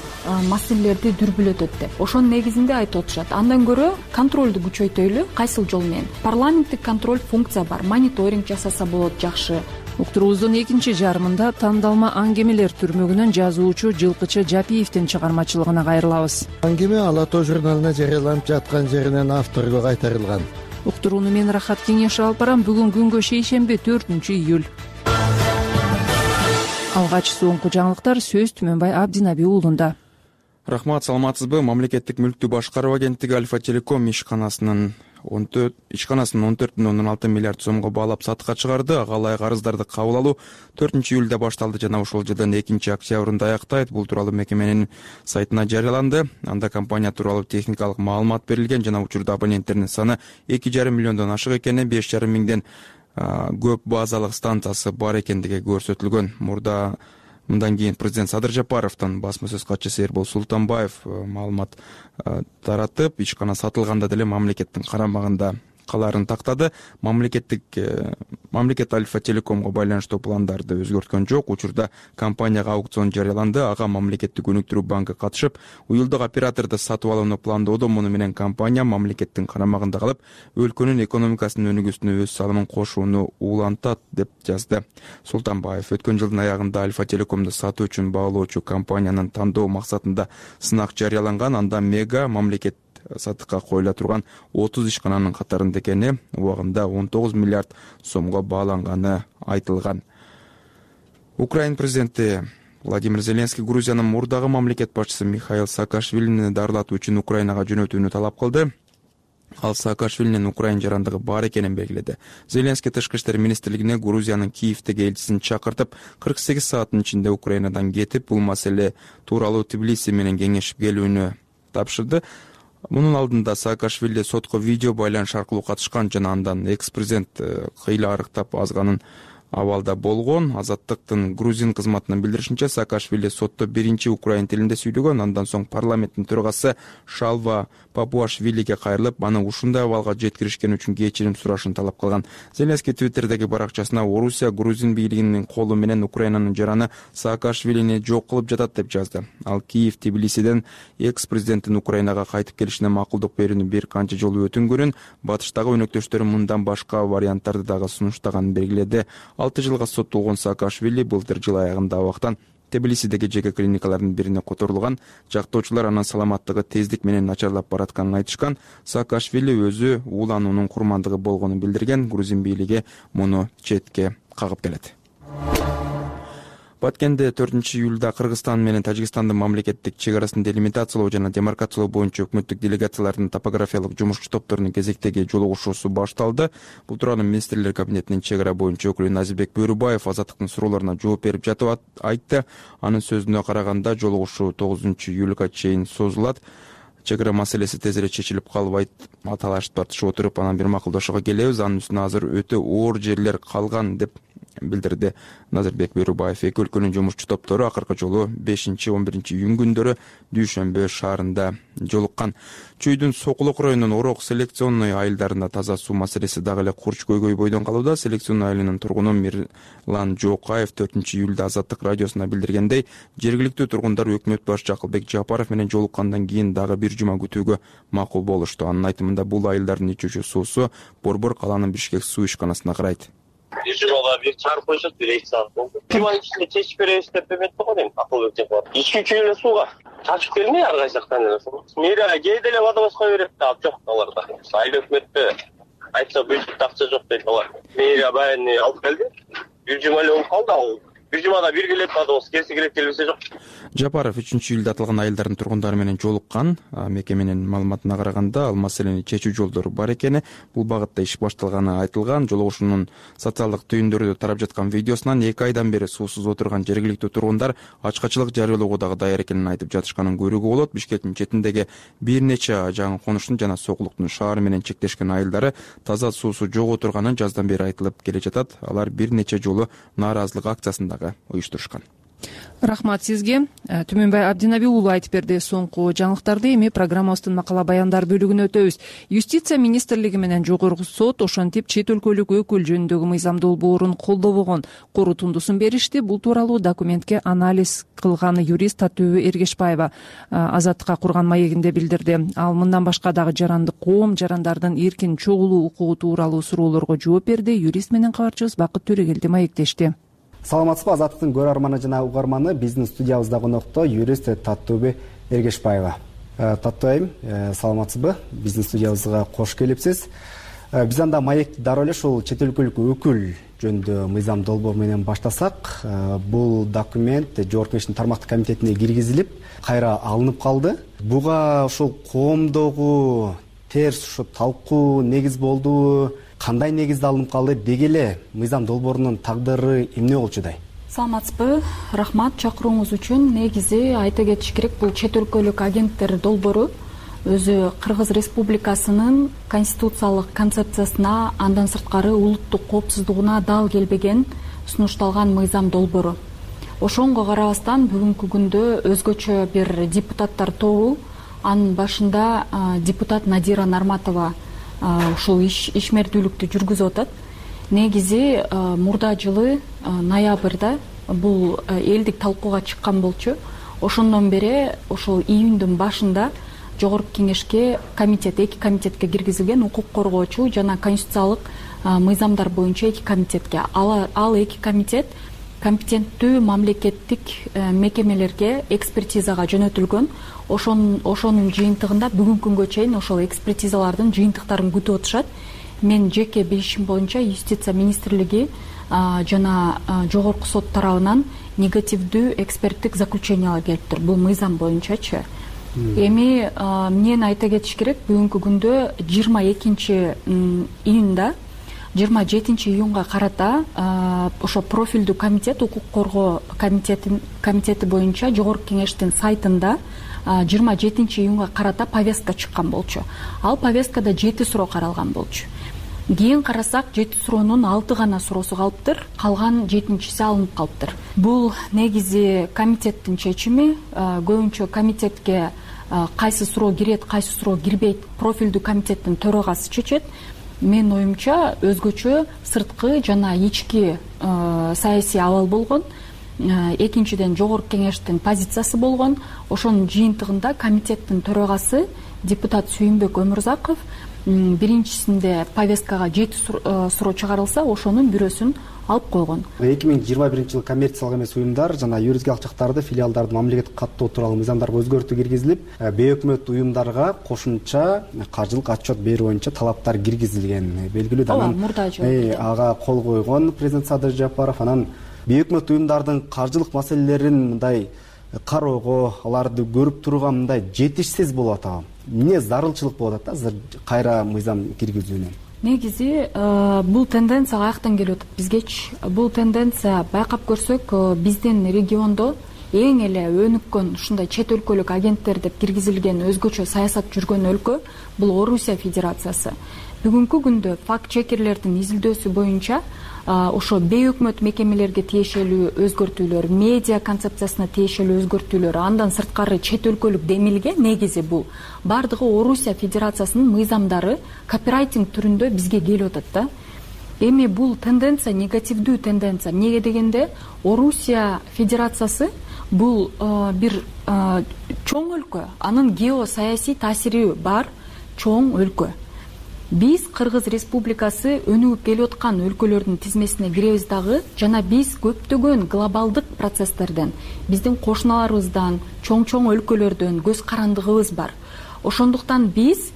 маселелерди дүрбүлөтөт деп. Ошонун негизинде айтып отурушат. Андан көрө контролду күчөйтөлү, кайсыл жол менен? Парламенттик контроль функция бар, мониторинг жасаса болот жакшы. Уктуруубуздун экинчи жарымында тандалма аңгемелер түрмөгүнөн жазуучу Жылкычы Жапиевдин чыгармачылыгына кайрылабыз. Аңгеме Ала тоо журналына жарыяланып жаткан жеринен авторго кайтарылган. Уктурууну мен Рахат Кеңешев алып барам. Бүгүн күнгө шейшемби төртүнчү июль. Алгач соңку жаңылыктар сөз Түмөнбай Абдинаби уулунда. Рахмат, саламатсызбы? Мамлекеттик мүлктү башкаруу агенттиги Альфа Телеком ишканасынын он төрт ишканасын он төрт бүтүн ондон алты миллиард сомго баалап сатыкка чыгарды. Ага ылайык арыздарды кабыл алуу төртүнчү июлда башталды жана ушул жылдын экинчи октябрында аяктайт. Бул тууралуу мекеменин сайтына жарыяланды. Анда компания тууралуу техникалык маалымат берилген жана учурда абоненттердин саны эки жарым миллиондон ашык экени, беш жарым миңден көп базалык станциясы бар экендиги көрсөтүлгөн. Мурда мындан кийин президент Садыр Жапаровдун басма сөз катчысы Эрбол Султанбаев маалымат таратып, ишкана сатылганда деле мамлекеттин карамагында калаарын тактады. Мамлекеттик мамлекет Альфа Телекомго байланыштуу пландарды өзгөрткөн жок. Учурда компанияга аукцион жарыяланды. Ага мамлекеттик өнүктүрүү банкы катышып, уюлдук операторду сатып алууну пландоодо. Муну менен компания мамлекеттин карамагында калып, өлкөнүн экономикасынын өнүгүүсүнө өз салымын кошууну улантат деп жазды Султанбаев. Өткөн жылдын аягында Альфа Телекомду сатуу үчүн баглоочу компаниянын тандоо максатында сынак жарыяланган. Анда Мега мамлекет сатыкка коюла турган отуз ишкананын катарында экени, убагында он тогуз миллиард сомго бааланганы айтылган. Украина президенти Владимир Зеленский Грузиянын мурдагы мамлекет башчысы Михаил Саакашвилини дарылатуу үчүн Украинага жөнөтүүнү талап кылды. Ал Саакашвилинин Украина жарандыгы бар экенин белгиледи. Зеленский тышкы иштер министрлигине Грузиянын Киевдеги элчисин чакыртып, кырк сегиз сааттын ичинде Украинадан кетип, бул маселе тууралуу Тбилиси менен кеңешип келүүнү тапшырды. Мунун алдында Саакашвили сотко видео байланыш аркылуу катышкан жана андан экс-президент кыйла арыктап азганын абалда болгон. Азаттыктын грузин кызматынын билдиришинче, Саакашвили сотто биринчи украин тилинде сүйлөгөн. Андан соң парламенттин төрагасы Шалва Папуашвилиге кайрылып, аны ушундай абалга жеткиришкен үчүн кечирим сурашын талап кылган. Зеленский Твиттердеги баракчасына Орусия грузин бийлигинин колу менен Украинанын жараны Саакашвилини жок кылып жатат деп жазды. Ал Киев Тбилисиден экс-президенттин Украинага кайтып келишине макулдук берүүнү бир канча жолу өтүнгөнүн, батыштагы өнөктөштөрү мындан башка варианттарды дагы сунуштаганын белгиледи. алты жылга соттолгон Саакашвили былтыр жыл аягында абактан Тбилисидеги жеке клиникалардын бирине которулган. Жактоочулар анын саламаттыгы тездик менен начарлап баратканын айтышкан. Саакашвили өзү уулануунун курмандыгы болгонун билдирген. Грузин бийлиги муну четке кагып келет. Баткенде төртүнчү июлда Кыргызстан менен Тажикстандын мамлекеттик чек арасын делимитациялоо жана демаркациялоо боюнча өкмөттүк делегациялардын топографиялык жумушчу топторунун кезектеги жолугушуусу башталды. Бул тууралуу министрлер кабинетинин чек ара боюнча өкүлү Назибек Бөрүбаев Азаттыктын суроолоруна жооп берип жатып айтты. Анын сөзүнө караганда жолугушуу тогузунчу июлга чейин созулат. чек ара маселеси тезирээк чечилип калбайт, талашып тартышып отуруп анан бир макулдашууга келебиз. Анын үстүнө азыр өтө оор жерлер калган деп билдирди Назырбек Берубаев. Эки өлкөнүн жумушчу топтору акыркы жолу бешинчи он биринчи июнь күндөрү Дүйшөмбө шаарында жолуккан. Чүйдүн Сокулук районунун Орок селекционный айылдарында таза суу маселеси дагы эле курч көйгөй бойдон калууда. Селекционный айылынын тургуну Мирлан Жокаев төртүнчү июлда Азаттык радиосуна билдиргендей, жергиликтүү тургундар өкмөт башчы Акылбек Жапаров менен жолуккандан кийин дагы бир жума күтүүгө макул болушту. Анын айтымында бул айылдардын ичүүчү суусу Борбор калаанын Бишкек суу ишканасына карайт. бир жумага бир чыгарып коюшат, бир эки саат болду. Жуманын ичинде чечип беребиз деп эметти го дейм Акылбек Жапаров. Ички үчүн эле сууга чачып келмей ар кайсы жактан эле суу. Мэрия кээде эле водовозго берет да, жок аларда. Айыл өкмөттө айтса бюджетте акча жок дейт алар. Мэрия баягы алып келди. Бир жума эле болуп калды, ал бир жумада бир келет водовоз, келсе келет, келбесе жок. Жапаров үчүнчү июлда аталган айылдардын тургундары менен жолуккан. Мекеменин маалыматына караганда, ал маселени чечүү жолдору бар экени, бул багытта иш башталганы айтылган. Жолугушуунун социалдык түйүндөрүдө тарап жаткан видеосунан эки айдан бери суусуз отурган жергиликтүү тургундар ачкачылык жарыялоого дагы даяр экенин айтып жатышканын көрүүгө болот. Бишкектин четиндеги бир нече жаңы конуштун жана Сокулуктун шаар менен чектешкен айылдары таза суусу жок отурганын жаздан бери айтылып келе жатат. Алар бир нече жолу нааразылык акциясын дагы уюштурушкан. Рахмат сизге. Түмөнбай Абдинаби уулу айтып берди соңку жаңылыктарды. Эми программабыздын макала баяндар бөлүгүнө өтөбүз. Юстиция министрлиги менен Жогорку сот ошентип чет өлкөлүк өкүл жөнүндөгү мыйзам долбоорун колдобогон корутундусун беришти. Бул тууралуу документке анализ кылган юрист Татөбү Эргешбаева Азаттыкка курган маегинде билдирди. Ал мындан башка дагы жарандык коом, жарандардын эркин чогулуу укугу тууралуу суроолорго жооп берди. Юрист менен кабарчыбыз Бакыт Төрөгелди маектешти. Саламатсызбы, Азаттыктын көрөрманы жана угарманы. Биздин студиябызда конокто юрист Татөбү Эргешбаева. Татуу айым, саламатсызбы? Биздин студиябызга кош келипсиз. Биз анда маекти дароо эле ушул чет өлкөлүк өкүл жөнүндө мыйзам долбоор менен баштасак, бул документ Жогорку Кеңештин тармактык комитетине киргизилип, кайра алынып калды. Буга ушул коомдогу терс ушу талкуу негиз болдубу? Кандай негизде алынып калды? Деги эле мыйзам долбоорунун тагдыры эмне болчудай? Саламатсызбы, рахмат чакырууңуз үчүн. Негизи айта кетиш керек, бул чет өлкөлүк агенттер долбоору өзү Кыргыз Республикасынын конституциялык концепциясына, андан сырткары улуттук коопсуздугуна дал келбеген сунушталган мыйзам долбоору. Ошонго карабастан бүгүнкү күндө өзгөчө бир депутаттар тобу, анын башында депутат Надира Нарматова ушул ишмердүүлүктү жүргүзүп атат. Негизи мурда жылы ноябрда бул элдик талкууга чыккан болчу. Ошондон бери ошол июндун башында Жогорку Кеңешке комитет, эки комитетке киргизилген, укук коргоочу жана конституциялык мыйзамдар боюнча эки комитетке. Ал эки комитет компетенттүү мамлекеттик мекемелерге экспертизага жөнөтүлгөн. Ошон ошонун жыйынтыгында бүгүнкү күнгө чейин ошол экспертизалардын жыйынтыктарын күтүп отушат. Мен жеке билишим боюнча Юстиция министрлиги жана Жогорку сот тарабынан негативдүү эксперттик заключениялар келиптир бул мыйзам боюнчачы. Эми мен айта кетиш керек, бүгүнкү күндө жыйырма экинчи июнда жыйырма жетинчи июнга карата ошо профилдүү комитет, укук коргоо комитети комитети боюнча Жогорку Кеңештин сайтында жыйырма жетинчи июнга карата повестка чыккан болчу. Ал повесткада жети суроо каралган болчу. Кийин карасак, жети суроонун алты гана суроосу калыптыр, калган жетинчиси алынып калыптыр. Бул негизи комитеттин чечими. Көбүнчө комитетке кайсы суроо кирет, кайсы суроо кирбейт профилдүү комитеттин төрагасы чечет. Менин оюмча өзгөчө сырткы жана ички саясий абал болгон. Экинчиден Жогорку Кеңештин позициясы болгон. Ошонун жыйынтыгында комитеттин төрагасы депутат Сүйүнбөк Өмүрзаков биринчисинде повесткага жети суроо чыгарылса, ошонун бирөөсүн алып койгон. эки миң жыйырма биринчи жылы коммерциялык эмес уюмдар жана юридикалык жактарды, филиалдарды мамлекеттик каттоо тууралуу мыйзамдарга өзгөртүү киргизилип, бейөкмөт уюмдарга кошумча каржылык отчет берүү боюнча талаптар киргизилген. Белгилүү да анан ага кол койгон президент Садыр Жапаров. Анан бейөкмөт уюмдардын каржылык маселелерин мындай кароого, аларды көрүп турууга мындай жетишсиз болуп атабы? Эмне зарылчылык болуп атат азыр кайра мыйзам киргизүүнүн? Негизи бул тенденция каяктан келип атат бизгечи? Бул тенденция байкап көрсөк, биздин региондо эң эле өнүккөн ушундай чет өлкөлүк агенттер деп киргизилген өзгөчө саясат жүргөн өлкө бул Орусия Федерациясы. Бүгүнкү күндө факт чекерлердин изилдөөсү боюнча ошо бейөкмөт мекемелерге тиешелүү өзгөртүүлөр, медиа концепциясына тиешелүү өзгөртүүлөр, андан сырткары чет өлкөлүк демилге негизи бул бардыгы Орусия Федерациясынын мыйзамдары копирайтинг түрүндө бизге келип атат да. Эми бул тенденция негативдүү тенденция. Эмнеге дегенде Орусия Федерациясы бул бир чоң өлкө, анын геосаясий таасири бар чоң өлкө. Биз Кыргыз Республикасы өнүгүп келип аткан өлкөлөрдүн тизмесине киребиз дагы, жана биз көптөгөн глобалдык процесстерден, биздин кошуналарыбыздан, чоң-чоң өлкөлөрдөн көз карандыгыбыз бар. Ошондуктан биз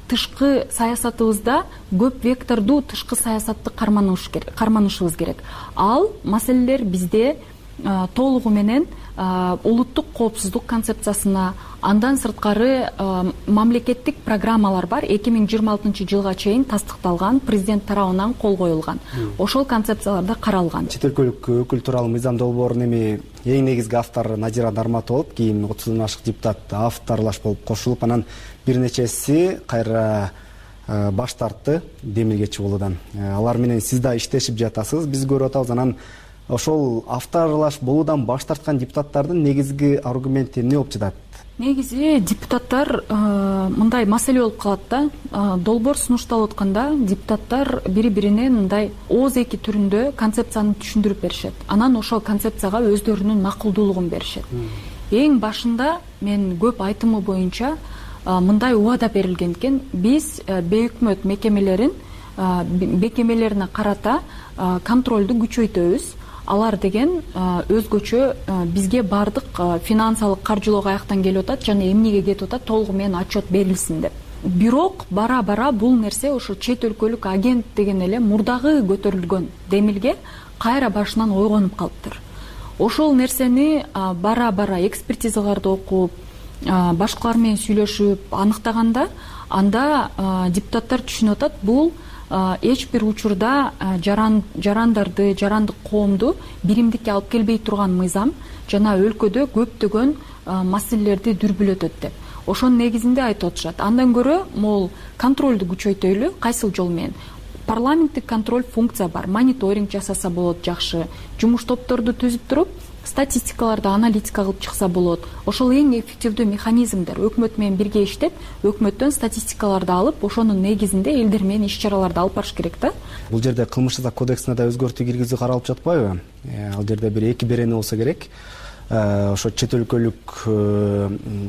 тышкы саясатыбызда көп вектордуу тышкы саясатты карманышыбыз керек. Ал маселелер бизде толугу менен улуттук коопсуздук концепциясына, андан сырткары мамлекеттик программалар бар, эки миң жыйырма алтынчы жылга чейин тастыкталган, президент тарабынан кол коюлган. Ошол концепцияларда каралган. Чет өлкөлүк өкүл тууралуу мыйзам долбоорунун эми эң негизги автору Назира Нарматова болуп, кийин отуздан ашык депутат авторлаш болуп кошулуп, анан бир нечеси кайра баш тартты демилгечи болуудан. Алар менен сиз да иштешип жатасыз, биз көрүп атабыз. Анан ошол авторлаш болуудан баш тарткан депутаттардын негизги аргументи эмне болуп жатат? Негизи депутаттар мындай маселе болуп калат да. Долбоор сунушталып атканда депутаттар бири-бирине мындай ооз эки түрүндө концепцияны түшүндүрүп беришет. Анан ошол концепцияга өздөрүнүн макулдуулугун беришет. Эң башында мен көп айтымы боюнча мындай убада берилген экен. Биз бейөкмөт мекемелерин мекемелерине карата контролду күчөйтөбүз. Алар деген өзгөчө бизге бардык финансылык каржылоо каяктан келип атат жана эмнеге кетип атат толугу менен отчет берилсин деп. Бирок бара-бара бул нерсе ошо чет өлкөлүк агент деген эле мурдагы көтөрүлгөн демилге кайра башынан ойгонуп калыптыр. Ошол нерсени бара-бара экспертизаларды окуп, башкалар менен сүйлөшүп аныктаганда, анда депутаттар түшүнүп атат, бул эч бир учурда жарандарды, жарандык коомду биримдикке алып келбей турган мыйзам жана өлкөдө көптөгөн маселелерди дүрбүлөтөт деп. Ошонун негизинде айтып атышат. Андан көрө могул контролду күчөйтөлү, кайсыл жол менен? Парламенттик контроль функция бар. Мониторинг жасаса болот жакшы. Жумуш топторду түзүп туруп, статистикаларды аналитика кылып чыкса болот. Ошол эң эффективдүү механизмдер. Өкмөт менен бирге иштеп, өкмөттөн статистикаларды алып, ошонун негизинде элдер менен иш-чараларды алып барыш керек да. Бул жерде кылмыш жаза кодексине да өзгөртүү киргизүү каралып жатпайбы? Ал жерде бир эки берени болсо керек. Ошо чет өлкөлүк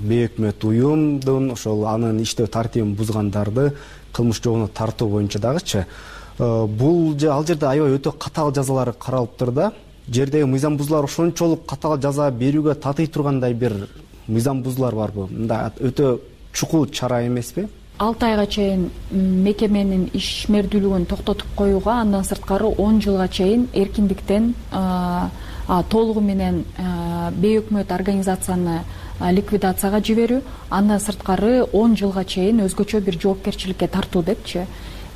бейөкмөт уюмдун ошол анын иштөө тартибин бузгандарды кылмыш жообуна тартуу боюнча дагычы. Бул ал жерде аябай өтө катаал жазалар каралыптыр да. Жердеги мыйзам бузуулар ошончолук катаал жаза берүүгө татый тургандай бир мыйзам бузуулар барбы? Мында өтө чукул чара эмеспи? алты айга чейин мекеменин ишмердүүлүгүн токтотуп коюуга, андан сырткары он жылга чейин эркиндиктен толугу менен бейөкмөт организацияны ликвидацияга жиберүү, андан сырткары он жылга чейин өзгөчө бир жоопкерчиликке тартуу депчи.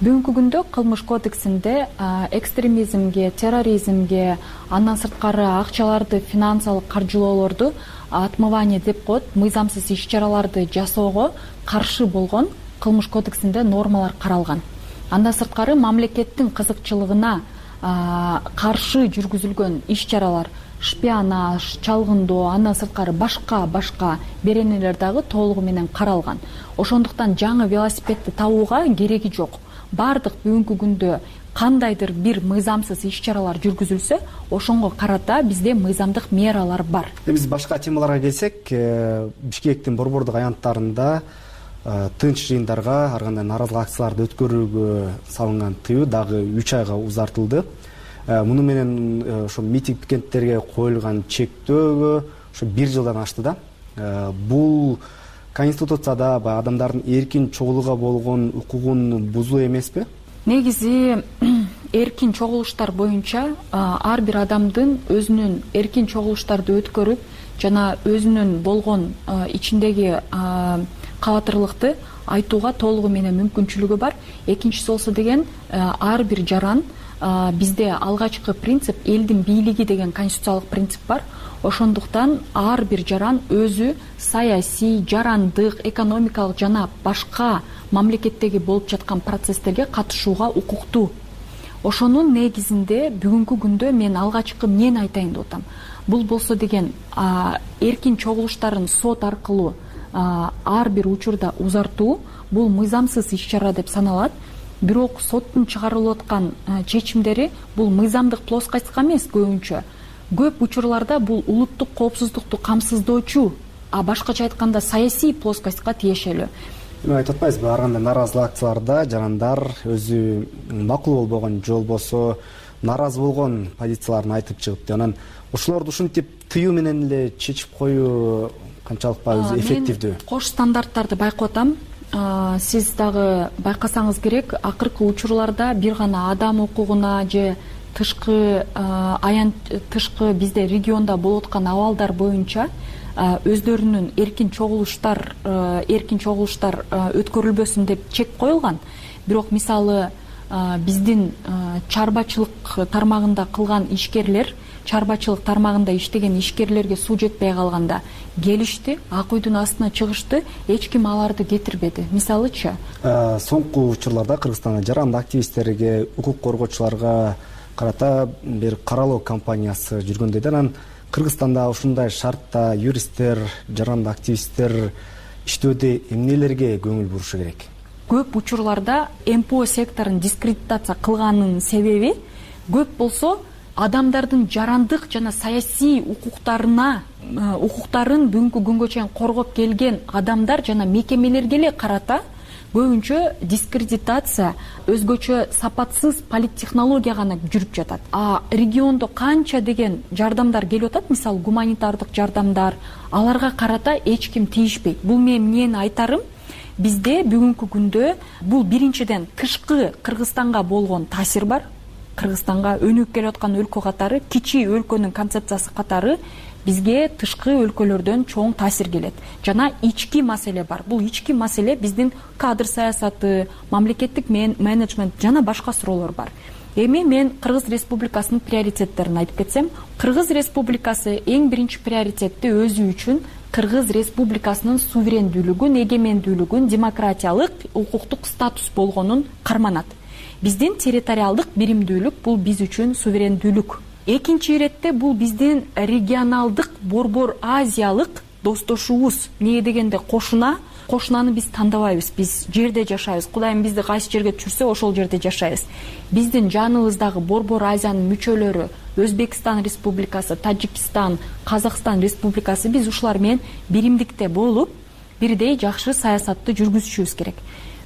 Бүгүнкү күндө кылмыш кодексинде экстремизмге, терроризмге, андан сырткары акчаларды, финансылык каржылоолорду отмывание деп коет, мыйзамсыз иш-чараларды жасоого каршы болгон кылмыш кодексинде нормалар каралган. Андан сырткары мамлекеттин кызыкчылыгына каршы жүргүзүлгөн иш-чаралар, шпионаж, чалгындоо, андан сырткары башка башка беренелер дагы толугу менен каралган. Ошондуктан жаңы велосипедди табууга кереги жок. Бардык бүгүнкү күндө кандайдыр бир мыйзамсыз иш-чаралар жүргүзүлсө, ошонго карата бизде мыйзамдык мералар бар. Биз башка темаларга келсек, Бишкектин борбордук аянттарында тынч жыйындарга, ар кандай нааразылык акцияларды өткөрүүгө салынган тыюу дагы үч айга узартылды. Муну менен ошо митинг пикеттерге коюлган чектөөгө ошо бир жылдан ашты да. Бул Конституцияда адамдардын эркин чогулууга болгон укугун бузуу эмеспи? Негизи эркин чогулуштар боюнча ар бир адамдын өзүнүн эркин чогулуштарды өткөрүп жана өзүнүн болгон ичиндеги кабатырлыкты айтууга толугу менен мүмкүнчүлүгү бар. Экинчиси болсо деген ар бир жаран бизде алгачкы принцип элдин бийлиги деген конституциялык принцип бар. Ошондуктан ар бир жаран өзү саясий, жарандык, экономикалык жана башка мамлекеттеги болуп жаткан процесстерге катышууга укуктуу. Ошонун негизинде бүгүнкү күндө мен алгачкы эмнени айтайын деп атам. Бул болсо деген эркин чогулуштарын сот аркылуу ар бир учурда узартуу бул мыйзамсыз иш-чара деп саналат. Бирок соттун чыгарылып аткан чечимдери бул мыйзамдык плоскостька эмес көбүнчө. Көп учурларда бул улуттук коопсуздукту камсыздоочу, а башкача айтканда саясий плоскостька тиешелүү. Эми айтып атпайсызбы, ар кандай нааразылык акцияларда жарандар өзү макул болбогон же болбосо нааразы болгон позицияларын айтып чыгып, анан ошолорду ушинтип тыюу менен эле чечип коюу канчалык өзү эффективдүү? Мен кош стандарттарды байкап атам. Сиз дагы байкасаңыз керек, акыркы учурларда бир гана адам укугуна же тышкы аян тышкы бизде региондо болуп аткан абалдар боюнча өздөрүнүн эркин чогулуштар эркин чогулуштар өткөрүлбөсүн деп чек коюлган. Бирок мисалы биздин чарбачылык тармагында кылган ишкерлер, чарбачылык тармагында иштеген ишкерлерге суу жетпей калганда келишти, ак үйдүн астына чыгышты, эч ким аларды кетирбеди. Мисалычы, соңку учурларда Кыргызстанда жарандык активисттерге, укук коргоочуларга карата бир каралоо кампаниясы жүргөндөй да. Анан Кыргызстанда ушундай шартта юристтер, жарандык активисттер иштөөдө эмнелерге көңүл бурушу керек? Көп учурларда эм пэ о секторун дискредитация кылганын себеби көп болсо адамдардын жарандык жана саясий укуктарына укуктарын бүгүнкү күнгө чейин коргоп келген адамдар жана мекемелерге эле карата көбүнчө дискредитация, өзгөчө сапатсыз политтехнология гана жүрүп жатат. А региондо канча деген жардамдар келип атат, мисалы гуманитардык жардамдар, аларга карата эч ким тийишпейт. Бул мен эмнени айтарым? Бизде бүгүнкү күндө бул биринчиден тышкы Кыргызстанга болгон таасир бар. Кыргызстанга өнүгүп келе аткан өлкө катары, кичи өлкөнүн концепциясы катары бизге тышкы өлкөлөрдөн чоң таасир келет. Жана ички маселе бар. Бул ички маселе биздин кадр саясаты, мамлекеттик менеджмент жана башка суроолор бар. Эми мен Кыргыз Республикасынын приоритеттерин айтып кетсем, Кыргыз Республикасы эң биринчи приоритетти өзү үчүн Кыргыз Республикасынын суверендүүлүгүн, эгемендүүлүгүн, демократиялык, укуктук статус болгонун карманат. Биздин территориалдык биримдүүлүк бул биз үчүн суверендүүлүк. Экинчи иретте бул биздин регионалдык борбор азиялык достошубуз. Эмне дегенде кошуна, кошунаны биз тандабайбыз. Биз жерде жашайбыз. Кудайым бизди кайсы жерге түшүрсө, ошол жерде жашайбыз. Биздин жаныбыздагы борбор азиянын мүчөлөрү, Өзбекстан Республикасы, Тажикстан, Казакстан Республикасы, биз ушулар менен биримдикте болуп, бирдей жакшы саясатты жүргүзүшүбүз керек.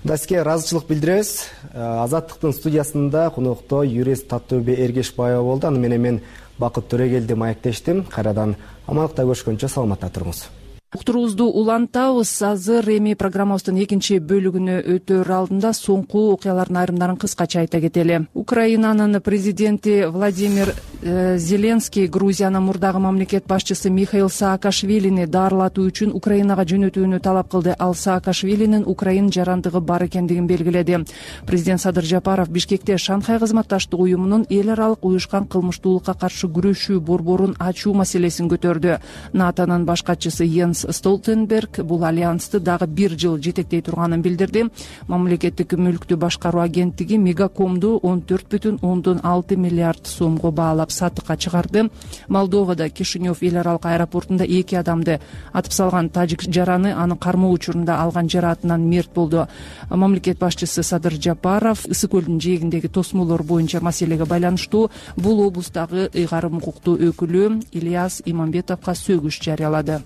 Даске ыраазычылык билдиребиз. Азаттыктын студиясында конокто юрист Таттөбө Эргешбаева болду. Аны менен мен Бакыт Төрегелди маектештим. Кайрадан амандыкта көрүшкөнчө саламатта туруңуз. Уктуруубузду улантабыз. Азыр эми программабыздын экинчи бөлүгүнө өтөр алдында соңку окуялардын айрымдарын кыскача айта кетели. Украинанын президенти Владимир э, Зеленский Грузиянын мурдагы мамлекет башчысы Михаил Саакашвилини дарылатуу үчүн Украинага жөнөтүүнү талап кылды. Ал Саакашвилинин Украин жарандыгы бар экендигин белгиледи. Президент Садыр Жапаров Бишкекте Шанхай кызматташтык уюмунун эл аралык уюшкан кылмыштуулукка каршы күрөшүү борборун ачуу маселесин көтөрдү. натонун баш катчысы Йенс Столтенберг бул альянсты дагы бир жыл жетектей турганын билдирди. Мамлекеттик мүлктү башкаруу агенттиги Мегакомду он төрт бүтүн ондон алты миллиард сомго баалап сатыкка чыгарды. Молдовада Кишинев эл аралык аэропортунда эки адамды атып салган тажик жараны анын кармоо учурунда алган жараатынан мерт болду. Мамлекет башчысы Садыр Жапаров Ысык көлдүн жээгиндеги тосмолор боюнча маселеге байланыштуу бул облустагы ыйгарым укуктуу өкүлү Ильяс Имамбетовго сөгүш жарыялады.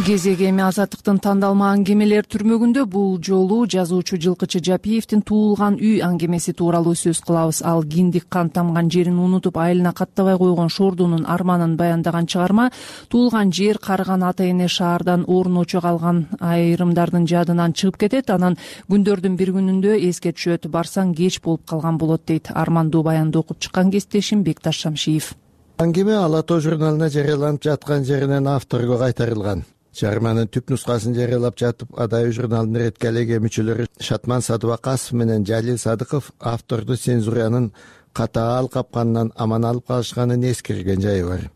Кезеги эми Азаттыктын тандалма аңгемелер түрмөгүндө бул жолу жазуучу Жылкычы Жапиевдин Туулган үй аңгемеси тууралуу сөз кылабыз. Ал киндик кан тамган жерин унутуп айылына каттабай койгон Шордунун арманын баяндаган чыгарма. Туулган жер карыган ата эне шаардан орун очо калган айрымдардын жадынан чыгып кетет. Анан күндөрдүн бир күнүндө эске түшөт. Барсаң кеч болуп калган болот дейт. Армандуу баянды окуп чыккан кесиптешим Бекташ Шамшиев. Аңгеме Ала Тоо журналына жарыяланып жаткан жеринен авторго кайтарылган. чыгарманын түп нускасын жарыялап жатып Адай журналынын редакциялык мүчөлөрү Шатман Садыбакасов менен Жалил Садыков авторду цензуранын катаал капканынан аман алып калышканын эскерген жайы бар.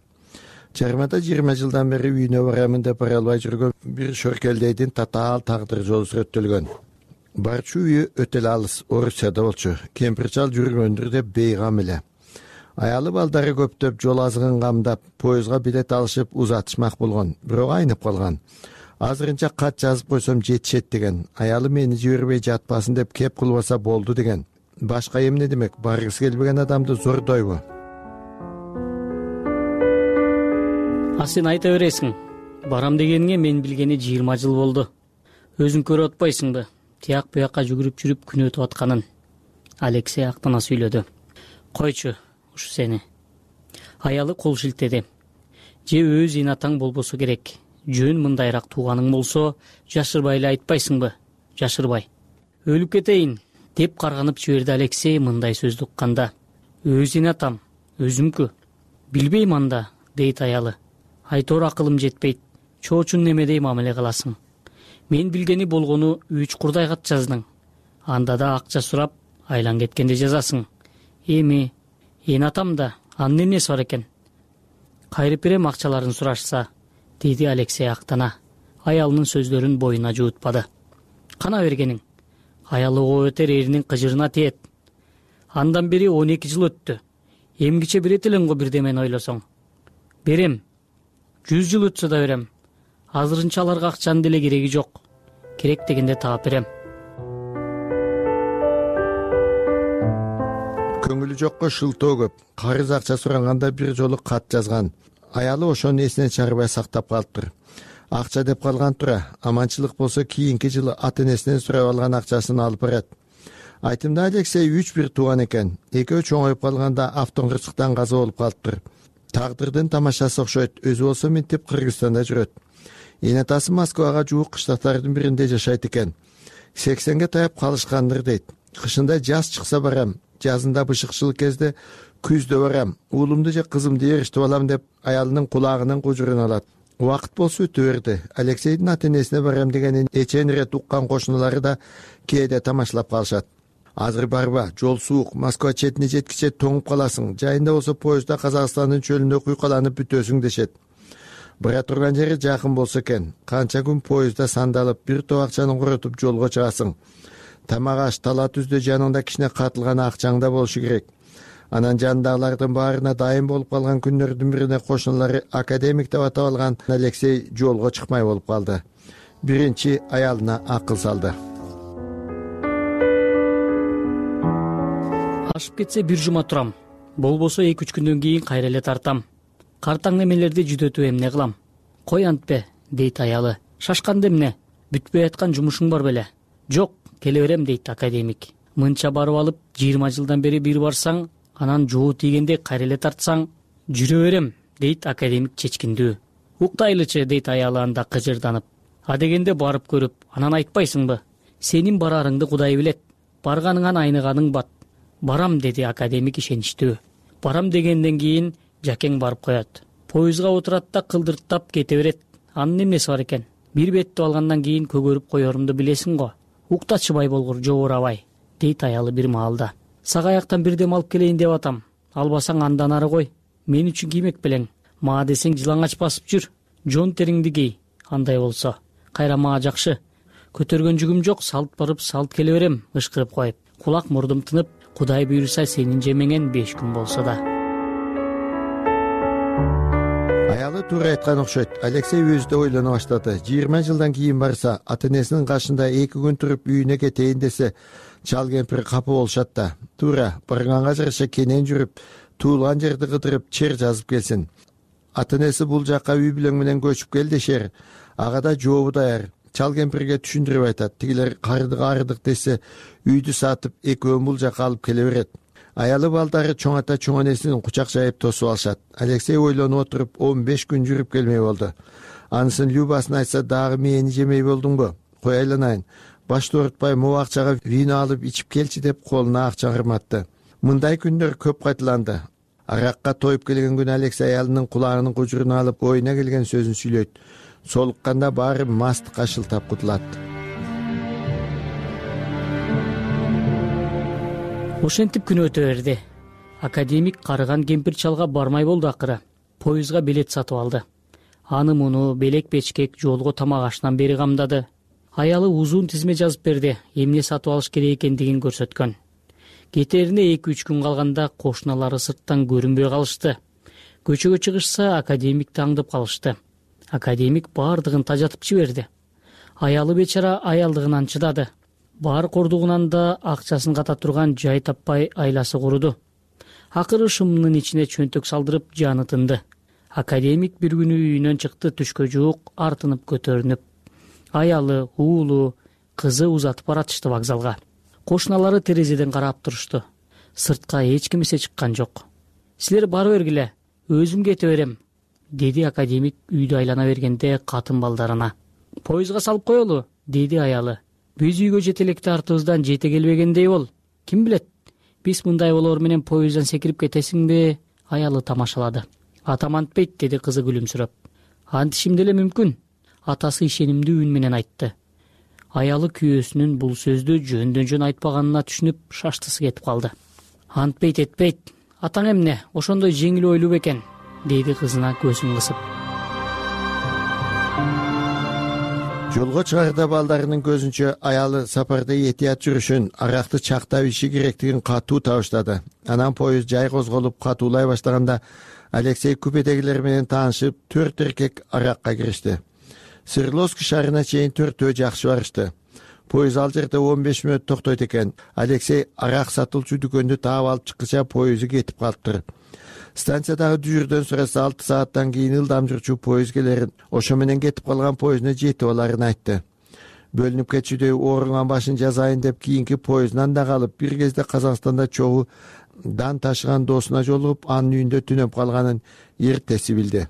Чыгармада жыйырма жылдан бери үйүнө барамын деп бара албай жүргөн бир шөркелдейдин татаал тагдыр жолу сүрөттөлгөн. Барчу үйү өтө эле алыс, Орусияда болчу. Кемпир чал жүргөндүр деп бейгам эле. Аялы балдары көптөп жол азыгын камдап, поездга билет алышып узатышмак болгон, бирок айнып калган. Азырынча кат жазып койсом жетишет деген. Аялы мени жибербей жатпасын деп кеп кылбаса болду деген. Башка эмне демек, баргысы келбеген адамды зордойбу? А сен айта бересиң. Барам дегениңе мен билгени жыйырма жыл болду. Өзүң көрүп атпайсыңбы? Тияк буякка жүгүрүп жүрүп күн өтүп атканын. Алексей актана сүйлөдү. Койчу, ушу сени. Аялы кол шилтеди. Же өз инатаң болбосо керек. Жөн мындайраак тууганың болсо, жашырбай эле айтпайсыңбы? Жашырбай. Өлүп кетейин деп карганып жиберди Алексей мындай сөздү укканда. Өз инатам, өзүмкү. Билбейм анда, дейт аялы. Айтор акылым жетпейт. Чоочун немедей мамиле кыласың. Мен билгени болгону үч курдай кат жаздың. Анда да акча сурап, айлан кеткенде жазасың. Эми, эн атам да, анын эмнеси бар экен? Кайрып берем акчаларын сурашса, деди Алексей актана. Аялынын сөздөрүн боюна жуутпады. Кана бергениң? Аялы ого өтер эринин кыжырына тиет. Андан бери он эки жыл өттү. Эмгиче берет элең го бирдемени ойлосоң. Берем. жүз жыл өтсө да берем. Азырынча аларга акчанын деле кереги жок. Керек дегенде таап берем. Көңүлү жокко шылтоо көп. Карыз акча сураганда бир жолу кат жазган. Аялы ошону эсинен чыгарбай сактап калыптыр. Акча деп калган тура, аманчылык болсо кийинки жылы ата энесинен сурап алган акчасын алып барат. Айтымда Алексей үч бир тууган экен. Экөө чоңоюп калганда автоңгырчыктан каза болуп калыптыр. Тагдырдын тамашасы окшойт. Өзү болсо минтип Кыргызстанда жүрөт. Эне атасы Москвага жуук кыштактардын биринде жашайт экен. сексенге таяп калышкандыр дейт. Кышында жаз чыкса барам, жазында бышыкчыл кезде күздө барам. Уулумду же кызымды эриштип алам деп аялынын кулагынын кужурун алат. Убакыт болсо өтө берди. Алексейдин ата энесине барам дегенин эчен ирет уккан кошуналары да кээде тамашалап калышат. Азыр барба, жол суук, Москва четине жеткиче тоңуп каласың. Жайында болсо поездда Казакстандын чөлүндө куйкаланып бүтөсүң дешет. Бара турган жери жакын болсо экен. Канча күн поездда сандалып, бир топ акчаны коротуп жолго чыгасың. Тамак аш, тала түздө жаныңда кичине катылган акчаңда болушу керек. Анан жанындагылардын баарына дайым болуп калган күндөрдүн бирине кошуналары академик деп атап алган Алексей жолго чыкмай болуп калды. Биринчи аялына акыл салды. Ашып кетсе бир жума турам. Болбосо эки үч күндөн кийин кайра эле тартам. Картаң немелерди жүдөтүп эмне кылам? Кой антпе, дейт аялы. Шашканда эмне? Бүтпөй аткан жумушуң бар беле? Жок, келе берем, дейт академик. Мынча барып алып, жыйырма жылдан бери бир барсаң, анан жоо тийгенде кайра эле тартсаң, жүрө берем, дейт академик чечкиндүү. Уктайлычы, дейт аялы анда кыжырданып. А дегенде барып көрүп, анан айтпайсыңбы? Сенин барарыңды Кудай билет. Барганыңан айныганың бат. Барам, деди академик ишеничтүү. Барам дегенден кийин жакең барып коет. Поездга отурат да кылдырттап кете берет. Анын эмнеси бар экен? Бир беттип алгандан кийин көгөрүп коерумду билесиң го. Уктачыбай болгур, жобурабай, дейт аялы бир маалда. Сагаяктан бир дем алып келейин деп атам. Албасаң андан ары кой. Мен үчүн киймек белең. Маа десең жылаңач басып жүр. Жон териңди кий. Андай болсо. Кайра маа жакшы. Көтөргөн жүгүм жок, салт барып, салт келе берем, ышкырып коюп. Кулак мурдум тынып, Кудай буйруса сенин жемеңен беш күн болсо да. Аялы туура айткан окшойт. Алексей өзү да ойлоно баштады. жыйырма жылдан кийин барса, ата энесинин кашында эки күн туруп үйүнө кетейин десе, чал кемпир капа болушат да. Туура, барганга жараша кенен жүрүп, туулган жерди кыдырып, чер жазып келсин. Ата энеси бул жакка үй бүлөң менен көчүп кел дешер. Ага да жообу даяр. Чал кемпирге түшүндүрүп айтат. Тигилер кардык арыдык десе, үйдү сатып экөөн бул жакка алып келе берет. Аялы балдары чоң ата чоң энесин кучак жайып тосуп алышат. Алексей ойлонуп отуруп он беш күн жүрүп келмей болду. Анысын Любасын айтса, дагы мени жемей болдуңбу? Кой айланайын. Башты оорутпай могу акчага вино алып ичип келчи деп колуна акча кырматты. Мындай күндөр көп кайталанды. Аракка тоюп келген күнү Алексей аялынын кулагынын кужуруна алып, оюна келген сөзүн сүйлөйт. солукканда баары мастыкка шылтап кутулат. Ошентип күн өтө берди. Академик карыган кемпир чалга бармай болду акыры. Поездга билет сатып алды. Аны муну белек печкек жолго тамак ашынан бери камдады. Аялы узун тизме жазып берди, эмне сатып алыш керек экендигин көрсөткөн. Кетерине эки үч күн калганда кошуналары сырттан көрүнбөй калышты. Көчөгө чыгышса академикти аңдып калышты. Академик бардыгын тажатып жиберди. Аялы бечара аялдыгынан чыдады. Бар кордугунан да акчасын ката турган жай таппай айласы куруду. Акыры шымынын ичине чөнтөк салдырып жаны тынды. Академик бир күнү үйүнөн чыкты түшкө жуук, артынып көтөрүнүп. Аялы, уулу, кызы узатып баратышты вокзалга. Кошуналары терезеден карап турушту. Сыртка эч ким эсе чыккан жок. Силер бара бергиле, өзүм кете берем, деди академик үйдү айлана бергенде катын балдарына. Поездга салып коелу, деди аялы. Биз үйгө жете электе артыбыздан жете келбегендей бол. Ким билет? Биз мындай болоор менен поезддан секирип кетесиңби? Аялы тамашалады. Атам антпейт, деди кызы күлүмсүрөп. Антишим деле мүмкүн. Атасы ишенимдүү үн менен айтты. Аялы күйөөсүнүн бул сөздү жөндөн жөн айтпаганына түшүнүп шаштысы кетип калды. Антпейт этпейт. Атаң эмне? Ошондой жеңил ойлуу бекен, деди кызына көзүн кысып. Жолго чыгарда балдарынын көзүнчө аялы сапарда этият жүрүшүн, аракты чактап иши керектигин катуу табыштады. Анан поезд жай козголуп катуулай баштаганда Алексей купедегилер менен таанышып, төрт эркек аракка киришти. Свердловск шаарына чейин төртөө жакшы барышты. Поезд ал жерде он беш мүнөт токтойт экен. Алексей арак сатылчу дүкөндү таап алып чыккыча поезду кетип калыптыр. Станциядагы дүйүрдөн сураса алты сааттан кийин ылдам жүрчү поезд келерин, ошо менен кетип калган поездуна жетип аларын айтты. Бөлүнүп кетчүдөй ооруган башын жазайын деп кийинки поезддан да калып, бир кезде Казакстанда чогуу дан ташыган досуна жолугуп, анын үйүндө түнөп калганын эртеси билди.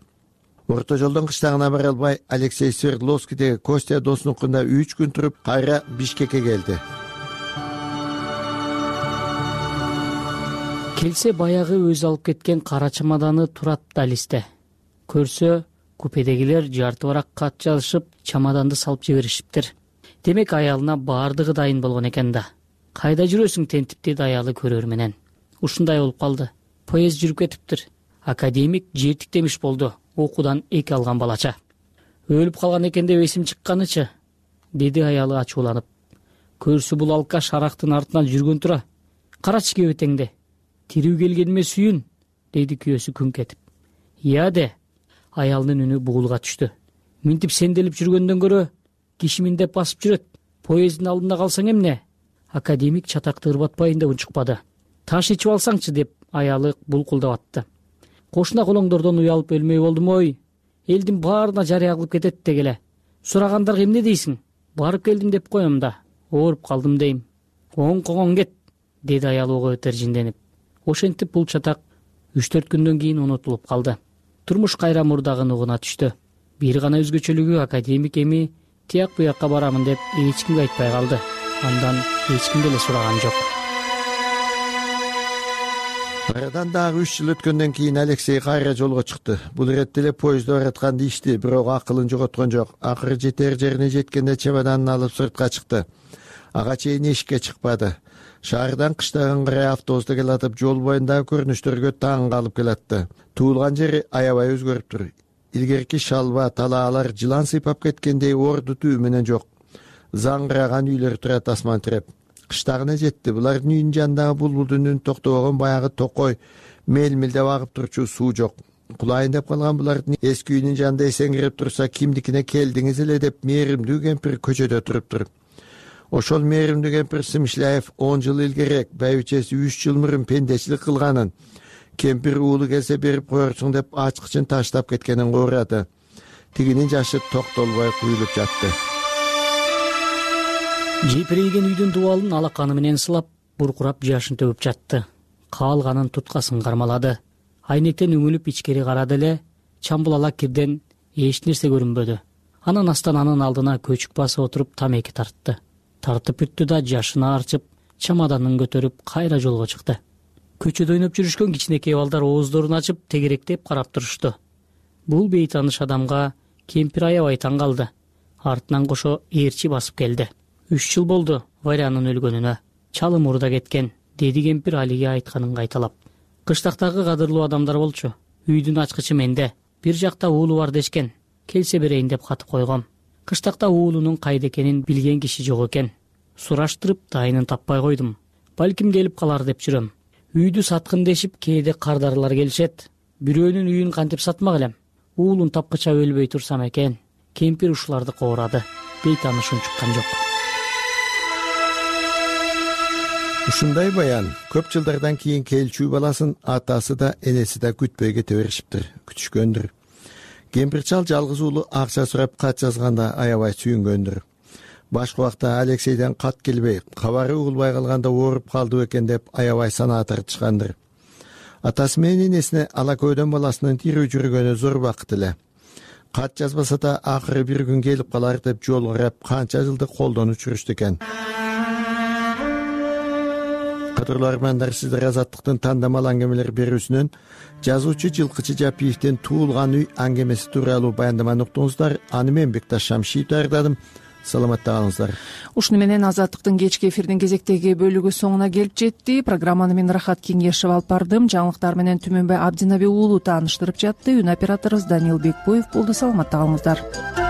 Орто жолдон кыштагына бара албай, Алексей Свердловскидеги Костя досунукунда үч күн туруп, кайра Бишкекке келди. Келсе баягы өзү алып кеткен кара чамаданы турат далисте. Көрсө, купедегилер жарты барак кат жазышып, чамаданды салып жиберишиптир. Демек аялына баардыгы дайын болгон экен да. Кайда жүрөсүң тентип, деди аялы көрөр менен. Ушундай болуп калды. Поезд жүрүп кетиптир. Академик жертик демиш болду. Окуудан эки алган балача. Өлүп калган экен деп эсим чыкканычы, деди аялы ачууланып. Көрсө бул алкаш арактын артынан жүргөн тура. Карачы кебетеңди. Тирүү келгениме сүйүн, деди күйөөсү күңк этип. Ия де, аялдын үнү бугулга түштү. Минтип сенделип жүргөндөн көрө, кишимин деп басып жүрөт. Поезддин алдында калсаң эмне? Академик чатакты ырбатпайын деп унчукпады. Таш ичип алсаңчы деп аялы булкулдап атты. Кошуна колоңдордон уялып өлмөй болдум ой. Элдин баарына жарыя кылып кетет дегеле. Сурагандарга эмне дейсиң? Барып келдим деп коем да. Ооруп калдым дейм. Оң коңон кет, деди аялы ого тержинденип. Ошентип бул чатак үч төрт күндөн кийин унутулуп калды. Турмуш кайра мурдагы нугуна түштү. Бир гана өзгөчөлүгү академик эми тияк буякка барамын деп эч кимге айтпай калды. Андан эч ким деле сураган жок. Арадан дагы үч жыл өткөндөн кийин Алексей кайра жолго чыкты. Бул иретте эле поездде баратканды ичти, бирок акылын жоготкон жок. Акыры жетер жерине жеткенде чемоданын алып сыртка чыкты. Ага чейин эшикке чыкпады. Шаардан кыштаган карай автобуста келатып, жол боюндагы көрүнүштөргө таң калып келатты. Туулган жери аябай өзгөрүптүр. Илгерки шалба, талаалар жылан сыйпап кеткендей орду түү менен жок. Заңгыраган үйлөр турат асман тиреп. Кыштагына жетти. Булардын үйүнүн жанындагы булбулдун үнү токтогон баягы токой, мелмилдеп агып турчу суу жок. Кулайын деп калган булардын эски үйүнүн жанында эсеңгирип турса, кимдикине келдиңиз эле деп мээримдүү кемпир көчөдө туруптур. Ошол мээримдүү кемпир Сымышляев он жыл илгерээк байбичеси үч жыл мурун пендечилик кылганын, кемпир уулу келсе берип коерсуң деп ачкычын таштап кеткенин уурады. Тигинин жашы токтолбой куюлуп жатты. Жепирейген үйдүн дубалын алаканы менен сылап, буркурап жашын төгүп жатты. Каалганын туткасын кармалады. Айнектен үңүлүп ичкери карады эле, чамбулала кирден эч нерсе көрүнбөдү. Анан астананын алдына көчүк басып отуруп тамеки тартты. Тартып бүттү да жашына арчып, чамаданын көтөрүп кайра жолго чыкты. Көчөдө ойноп жүрүшкөн кичинекей балдар ооздорун ачып, тегеректеп карап турушту. Бул бейтааныш адамга Кемпир аябай таң калды. Артынан кошо ээрчи басып келди. Үч жыл болду Варянын өлгөнүнө. Чалы мурда кеткен, деди кемпир алиге айтканын кайталап. Кыштактагы кадырлуу адамдар болчу. Үйдүн ачкычы менде. Бир жакта уулу бар дешкен. Келсе берейин деп кат койгом. Кыштакта уулунун кайда экенин билген киши жок экен. Сураштырып дайынын таппай койдум. Балким келип калар деп жүрөм. Үйдү саткын дешип кээде кардарлар келишет. Бирөөнүн үйүн кантип сатмак элем? Уулун тапкыча өлбөй турсам экен. Кемпир ушуларды коорады. Бейтаанышым чыккан жок. Ушундай баян көп жылдардан кийин келчү баласын атасы да энеси да күтпөй кете беришиптир, күтүшкөндүр. Кемпир чал жалгыз уулу акча сурап кат жазганда аябай сүйүнгөндүр. Башка убакта Алексейден кат келбей, кабары угулбай калганда ооруп калды бекен деп аябай санаа тартышкандыр. Атасы менен энесине ала көйдөн баласынын тирүү жүргөнү зор бакыт эле. Кат жазбаса да акыры бир күн келип калар деп жол карап канча жылдык колдон учурушту экен. Кадырлуу армандар, сиздер Азаттыктын тандамал аңгемелер берүүсүнөн жазуучу Жылкычы Жапиевдин Туулган үй аңгемеси тууралуу баяндаманы уктуңуздар. Аны мен Бекташ Шамшиев даярдадым. Саламатта калыңыздар. Ушуну менен Азаттыктын кечки эфирдин кезектеги бөлүгү соңуна келип жетти. Программаны мен Рахат Кеңешев алып бардым. Жаңылыктар менен Түмөнбай Абдинаби уулу тааныштырып жатты. Үн операторубуз Даниил Бекбоев болду. Саламатта калыңыздар.